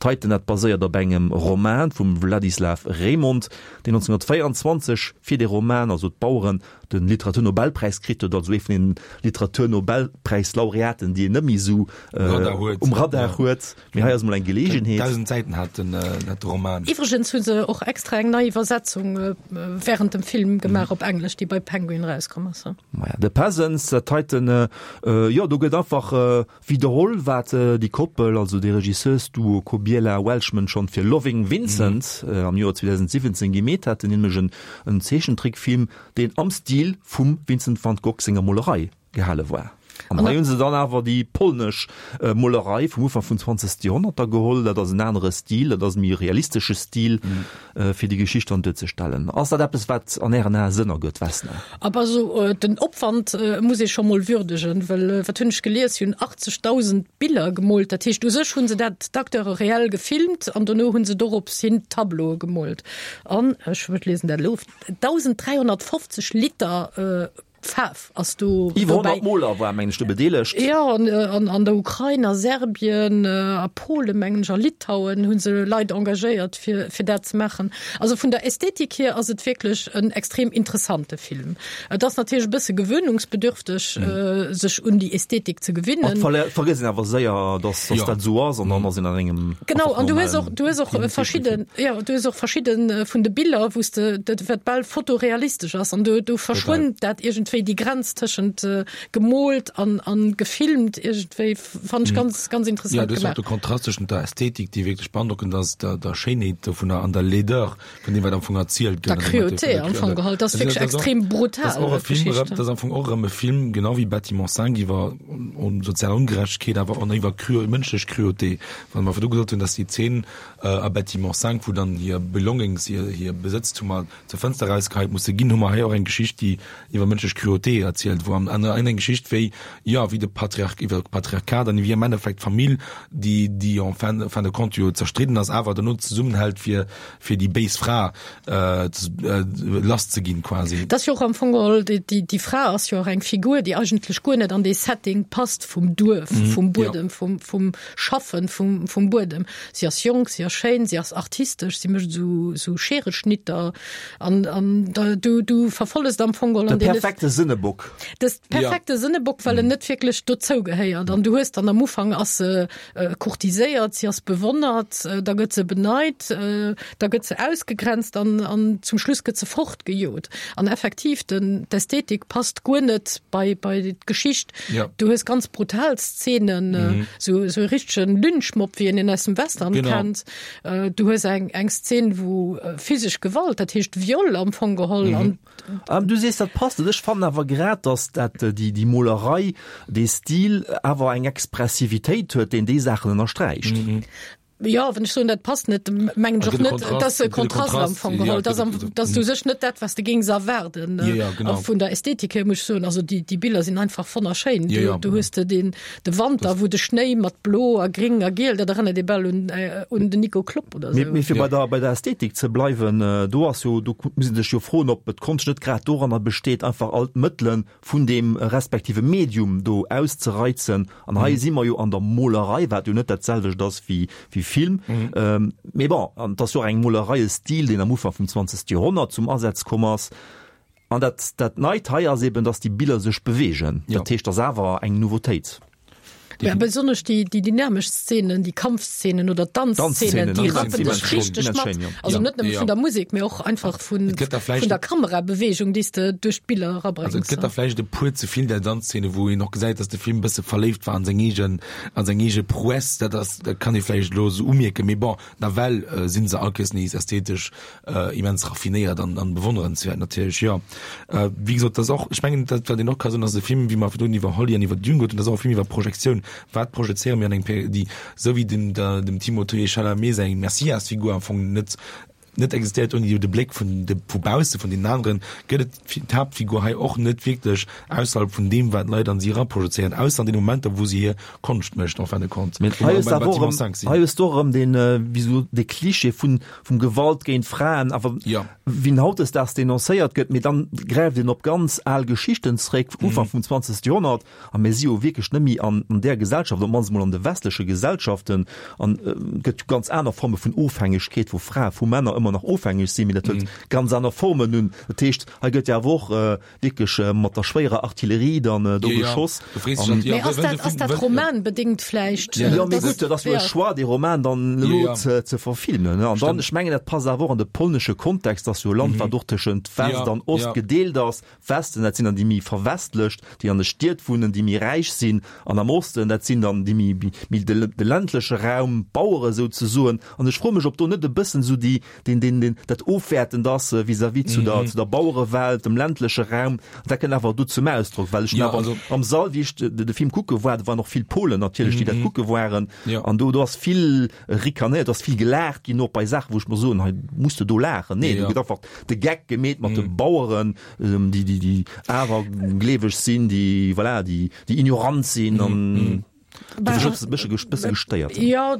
D'Heiten, dat baséiert op engem Roman vum Wladislaw Reymont, deen nonzénhunnertvéierundzwanzeg fir dee Roman, also D'Baueren, de Literaturnobelpräis kritt huet, also ee vun den Literaturnobelpräislaureaten, déi een net méi esou um Radar huet. Mee hei ass emol eng Geleegenheet. Dausend Säiten hat den hat de Roman. Iwwregens hu se och extra eng nei Iwwersetzung während dem Film gemaach op Englesch, déi bei Penguin erauskomm ass. Maja, The Peasants, dat heiten, jo, do gëtt einfach widderholl, wat déi Koppel, also dee Regisseursduo Kobiela-Welchman schonn fir Loving Vincent am Joer zweedausendsiwwenzéng gemeet haten, nämlech en Zeechentrickfilm, deen am Stil vum Vincent van Gogh senger Molerei gehale war. An hei hu se dann awer déi polnesch Molerei vum Ufank vum zwanzegste Joerhonnert da geholl. Dat ass en anere Stil, dat ass e méi realistesche Stil, fir déi Geschicht dann duerzestellen. Ass dat eppes, wat an Ären Ae Sënn ergëtt, Vesna? Ab also den Opwand muss ee scho mol würdegen, well wat hunn ech gelies, si hunn achtzegdausend Biller gemoolt. Dat heescht, u sech hu se dat d'Acteure reell gefilmt an dono hu se dorops hin Tableaue gemoolt. An ech liesen dat elo, dausend dräihonnertfofzeg Liter Faarf ass do Iwwer honnert Moler waren, mengen ech, do bedeelegt. Jo, an an der Ukrain, a Serbien, a Polen, mengen ech, a Litauen hu se Leit engagéiert, fir fir dat ze maachen. Also vun der Ästhetik hier ass et wierklech en extrem interessante Film. Et ass natierlech e bësse gewöhnungsbedürfteg, sech un déi Ästhetik ze gewinnen. Et vergësst een awer séier, dass dass dat esou ass an dann ass een an engem Genau, an du hues och, du hues och verschidden, jo, du hues och verschidde vun de Biller, wou s de, dat wat bal fotorealistesch ass an do do verschwënnt dat iergendwéi. Iergendwéi déi Grenz tëschent gemoolt an an gefilmt iergendwéi fannen ech ganz ganz interessant gemaach. Ja, du hues och de Kontrast tëschent der Ästhetik, déi wierklech beandrockend ass, der der Schéinheet dovunner an der Laideur vun deem wat am Fong erzielt gëtt. Der Cruauté am Fong geholl, dat ass wierklech extrem brutal. Dat ass och e Film erëm, dat ass am Fong och erëm e Film, genau wéi Bâtiment cinq, iwwer sozial Ongerechtegkeet, awer och iwwer Cru mënschlech Cruauté. Wann mer virdu gesot hunn, dass déi Zeen a Bâtiment cinq, wou dann hir Belongings, hir hir Besëtztumer zur Fënster erausgeheit musse ginn, hu mer hei och eng Geschicht, déi iwwer mënschlech Cruauté erzielt, wou am an eng Geschicht wéi, jo, wéi de Patriarch, iwwer d'Patriarchat an wéi am Endeffekt d'Famill, déi, déi en fin, fin de compte jo zerstridden ass, awer dono zesummenhält fir, fir déi béis Fra lass ze ginn quasi. Dat ass jo och am Fong geholl, déi, déi, déi Fra ass jo och eng Figur, déi eigentlech guer net an dee Setting passt vum Duerf, vum Buedem, vum, vum Schaffen, vum, vum Buedem. Si ass jonk, si ass schéin, si ass artistesch, si mécht esou, esou Schereschnitter an, an da, du, du verfollest am Fong geholl an deene. De perfekte Sënnebock. De perfekte Sënnebock, well en net wierklech dozou gehéiert. An du hues dann am Ufank ass se courtiséiert, si ass bewonnert, da gëtt se beneit, da gëtt se ausgegrenzt an, an zum Schluss gëtt se fortgejot. An effektiv, den, d'Ästhetik passt guer net bei, bei d'Geschicht. Ja. Du hues ganz brutal Szenen, mhm. so, so e richtegen Lynchmob, wéi een en aus dem Western genau. kennt. Du hues eng, eng Szen, wou physesch Gewalt, dat heescht Viol am Fong geholl mhm. an Ähm, du sees dat passt net. Ech fannen awer grad, dass dat déi, déi Molerei, dee Stil awer eng Expressivitéit huet, deen déi Saachen ënnersträicht. Mhm. Jo, wann ech soen, dat passt net, mengen ech och net, dass e Kontrast am Fong geholl, dass am, dass du sech net dat, was de géings erwaarden. Ja, ja, genau. A vun der Ästhetik hier muss ech soen, also déi, déi Biller sinn einfach wonnerschéin. Ja, ja. Du, du hues de den, de Wanter, wou de Schnéi mat blo a gring a giel, dat erënnert ee bal un, un den Nico Klopp oder Mee, sou. mee fir bei der, bei der Ästhetik ze bleiwen, do ass jo, do muss een sech jo froen, ob d'Konscht net grad doranner besteet, einfach all d'Mëttele vun deem respektive Medium do auszereizen. An hei si mer jo an der Molerei, wat jo net dat selwecht ass wéi, wéi Film. Mee bon, an et ass jo och eng Molerei, e Stil, deen am Ufank vum zwanzegste Joerhonnert zum Asaz komm ass. An dat, dat Neit hei ass eben, dass déi Biller sech beweegen. Dat heescht, et ass awer eng Nouveautéit. Ja, besonnesch déi, déi dynamesch Szenen, déi Kampfszenen oder d'Danzszenen, déi rappen dech richteg mat. Also net nëmme vun der Musek, mee och einfach vun, vun der Kamerabewegung, déi s de duerch d'Biller erabréngs. Also et gëtt der vläicht e puer ze vill där Danzszene, wou een och gesäit, dass de Film e bësse verléift war an seng eegen, an seng eege Prouesse. Dat ass, dat kann ee vläicht elo esou umierken, mee bon, nawell si se all Kéiers nees ästhetesch immens raffinéiert an, an bewonnerenswäert natierlech, jo. Wéi gesot, dat ass och, ech mengen, dat wat een och ka soen, ass e Film, wéi mer virdrun iwwer Holly an iwwer Dune gehuet hunn, dat ass och e Film iwwer Projektioun. Wat projezéiere mir an engem Péri, déi, esou wéi dem, der, dem Timothée Chalamet seng Messias-Figur am Fong net, net existéiert ouni de Bléck vun de, vu bausse vun deenen aneren, gëtt et d'Haaptfigur hei och net wierklech ausserhalb vun deem, wat d'Leit an si eraprojezéieren, ausser an deene Momenter, wou si hir Konscht mécht en fin de compte. Mee hei hues de awer och erëm, hei hues de och erëm deen, wéi sou, dee Klischee vun, vum Gewalt géint Fraen, awer wéi en hautdesdaags denoncéiert gëtt, mee dann gräift een op ganz al Geschichten zréck, Ufank vum zwanzegste Joerhonnert, a mir si jo wierklech net méi an där Gesellschaft, op d'mannst emol an de westleche Gesellschaften, an et gëtt jo ganz aner Forme vun Ofhängegkeet vu Frae vu Männer. ëmmer nach ofhängeg sinn, mee dat huet ganz aner Formen un. Dat heescht, hei gëtt jo awer och wierklech mat der schwéierer Artillerie dann do geschoss. Mee ass dat, ass dat romanbedéngt vläicht? Jo, mee gutt, dat ass jo e Choix, dee Roman dann elo ze verfilmen. An dann, ech mengen, dat passt awer och an de polnesche Kontext, dat ass jo e Land, wat och tëschent West an Ost gedeelt ass. Westen, dat sinn dann déi méi verwestlecht, déi an de Stied wunnen, déi méi räich sinn, an am Osten, dat sinn dann déi méi, méi de, de ländleche Raum, d'Bauere souzesoen. An ech froe mech, ob do net e bëssen esou déi, deen, deen, deen, dat Ofwäertend ass vis-à-vis zu der, zu der Bauerewelt, dem ländleche Raum. An dat kënnt awer do zum Ausdrock, well ech hunn awer am Sall, wéi ech de, de Film kucke war, do waren och vill Polen natierlech, déi dat kucke waren, an do, do ass vill rikanéiert, do ass vill gelaacht ginn, och bei Saachen, wou ech mer soen, hei muss de do laachen. Nee, do gëtt einfach de Geck gemeet mat de Baueren, déi, déi, déi awergleeweg sinn, déi, voilà, déi, déi ignorant sinn an déi mech e bësse bësse gestéiert hunn. Jo,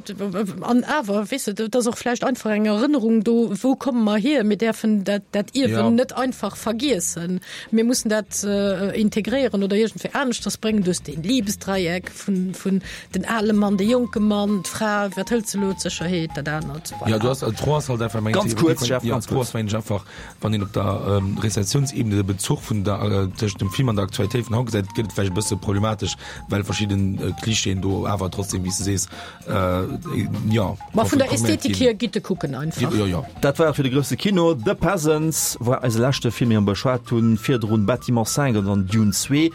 an awer, weess de, et ass och vläicht einfach eng Erënnerung do, wou komme mer hier? Mir däerfen dat, dat Ierwen net einfach vergiessen. Mir mussen dat integréieren oder iergendwéi aneschters bréngen. Du hues dee Liebesdreieck vun, vun den ale Mann, de jonke Mann, d'Fra, wat hëlt se elo, d'Sécherheet, dat anert, voilà. Jo, du has, d'Fro ass halt einfach, mengen ech, Ganz kuerz, Jeff, ganz kuerz. D'Fro ass, mengen ech, einfach, Wann een op der Rezessiounsebene de Bezuch vun der tëschent dem Film an der Aktualitéit vun haut gesäit, gëtt et vläicht e bësse problematesch, well verschidden Klischeeën do awer trotzdem, wéi s de sees, jo, Ma vun der Ästhetik hier gitt e kucken einfach. Jo, jo. Dat war et fir de grousse Kino. The Peasants war eise leschte Film, dee mer beschwat hunn. Virdrun Bâtiment cinq an dann Dune zwee.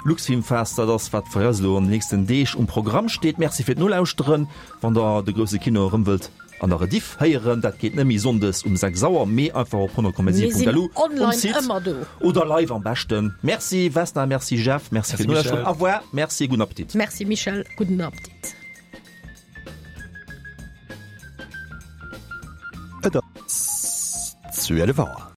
Luxfilmfest, dat ass wat fir eis elo an den nächsten Deeg um Programm steet. Merci fir d'Nolauschteren. Wann der de grousse Kino erëm wëllt an der Rediff héieren, dat geet net méi sonndes um sechs Auer, mee einfach op honnert Komma siwen Punkt lu um Site oder live am beschten. Merci Vesna, merci Jeff, merci fir d'Nolauschteren. Au revoir, merci, gudden Appetit. Merci Michel, gudden Appetit. Et ass zwielef Auer.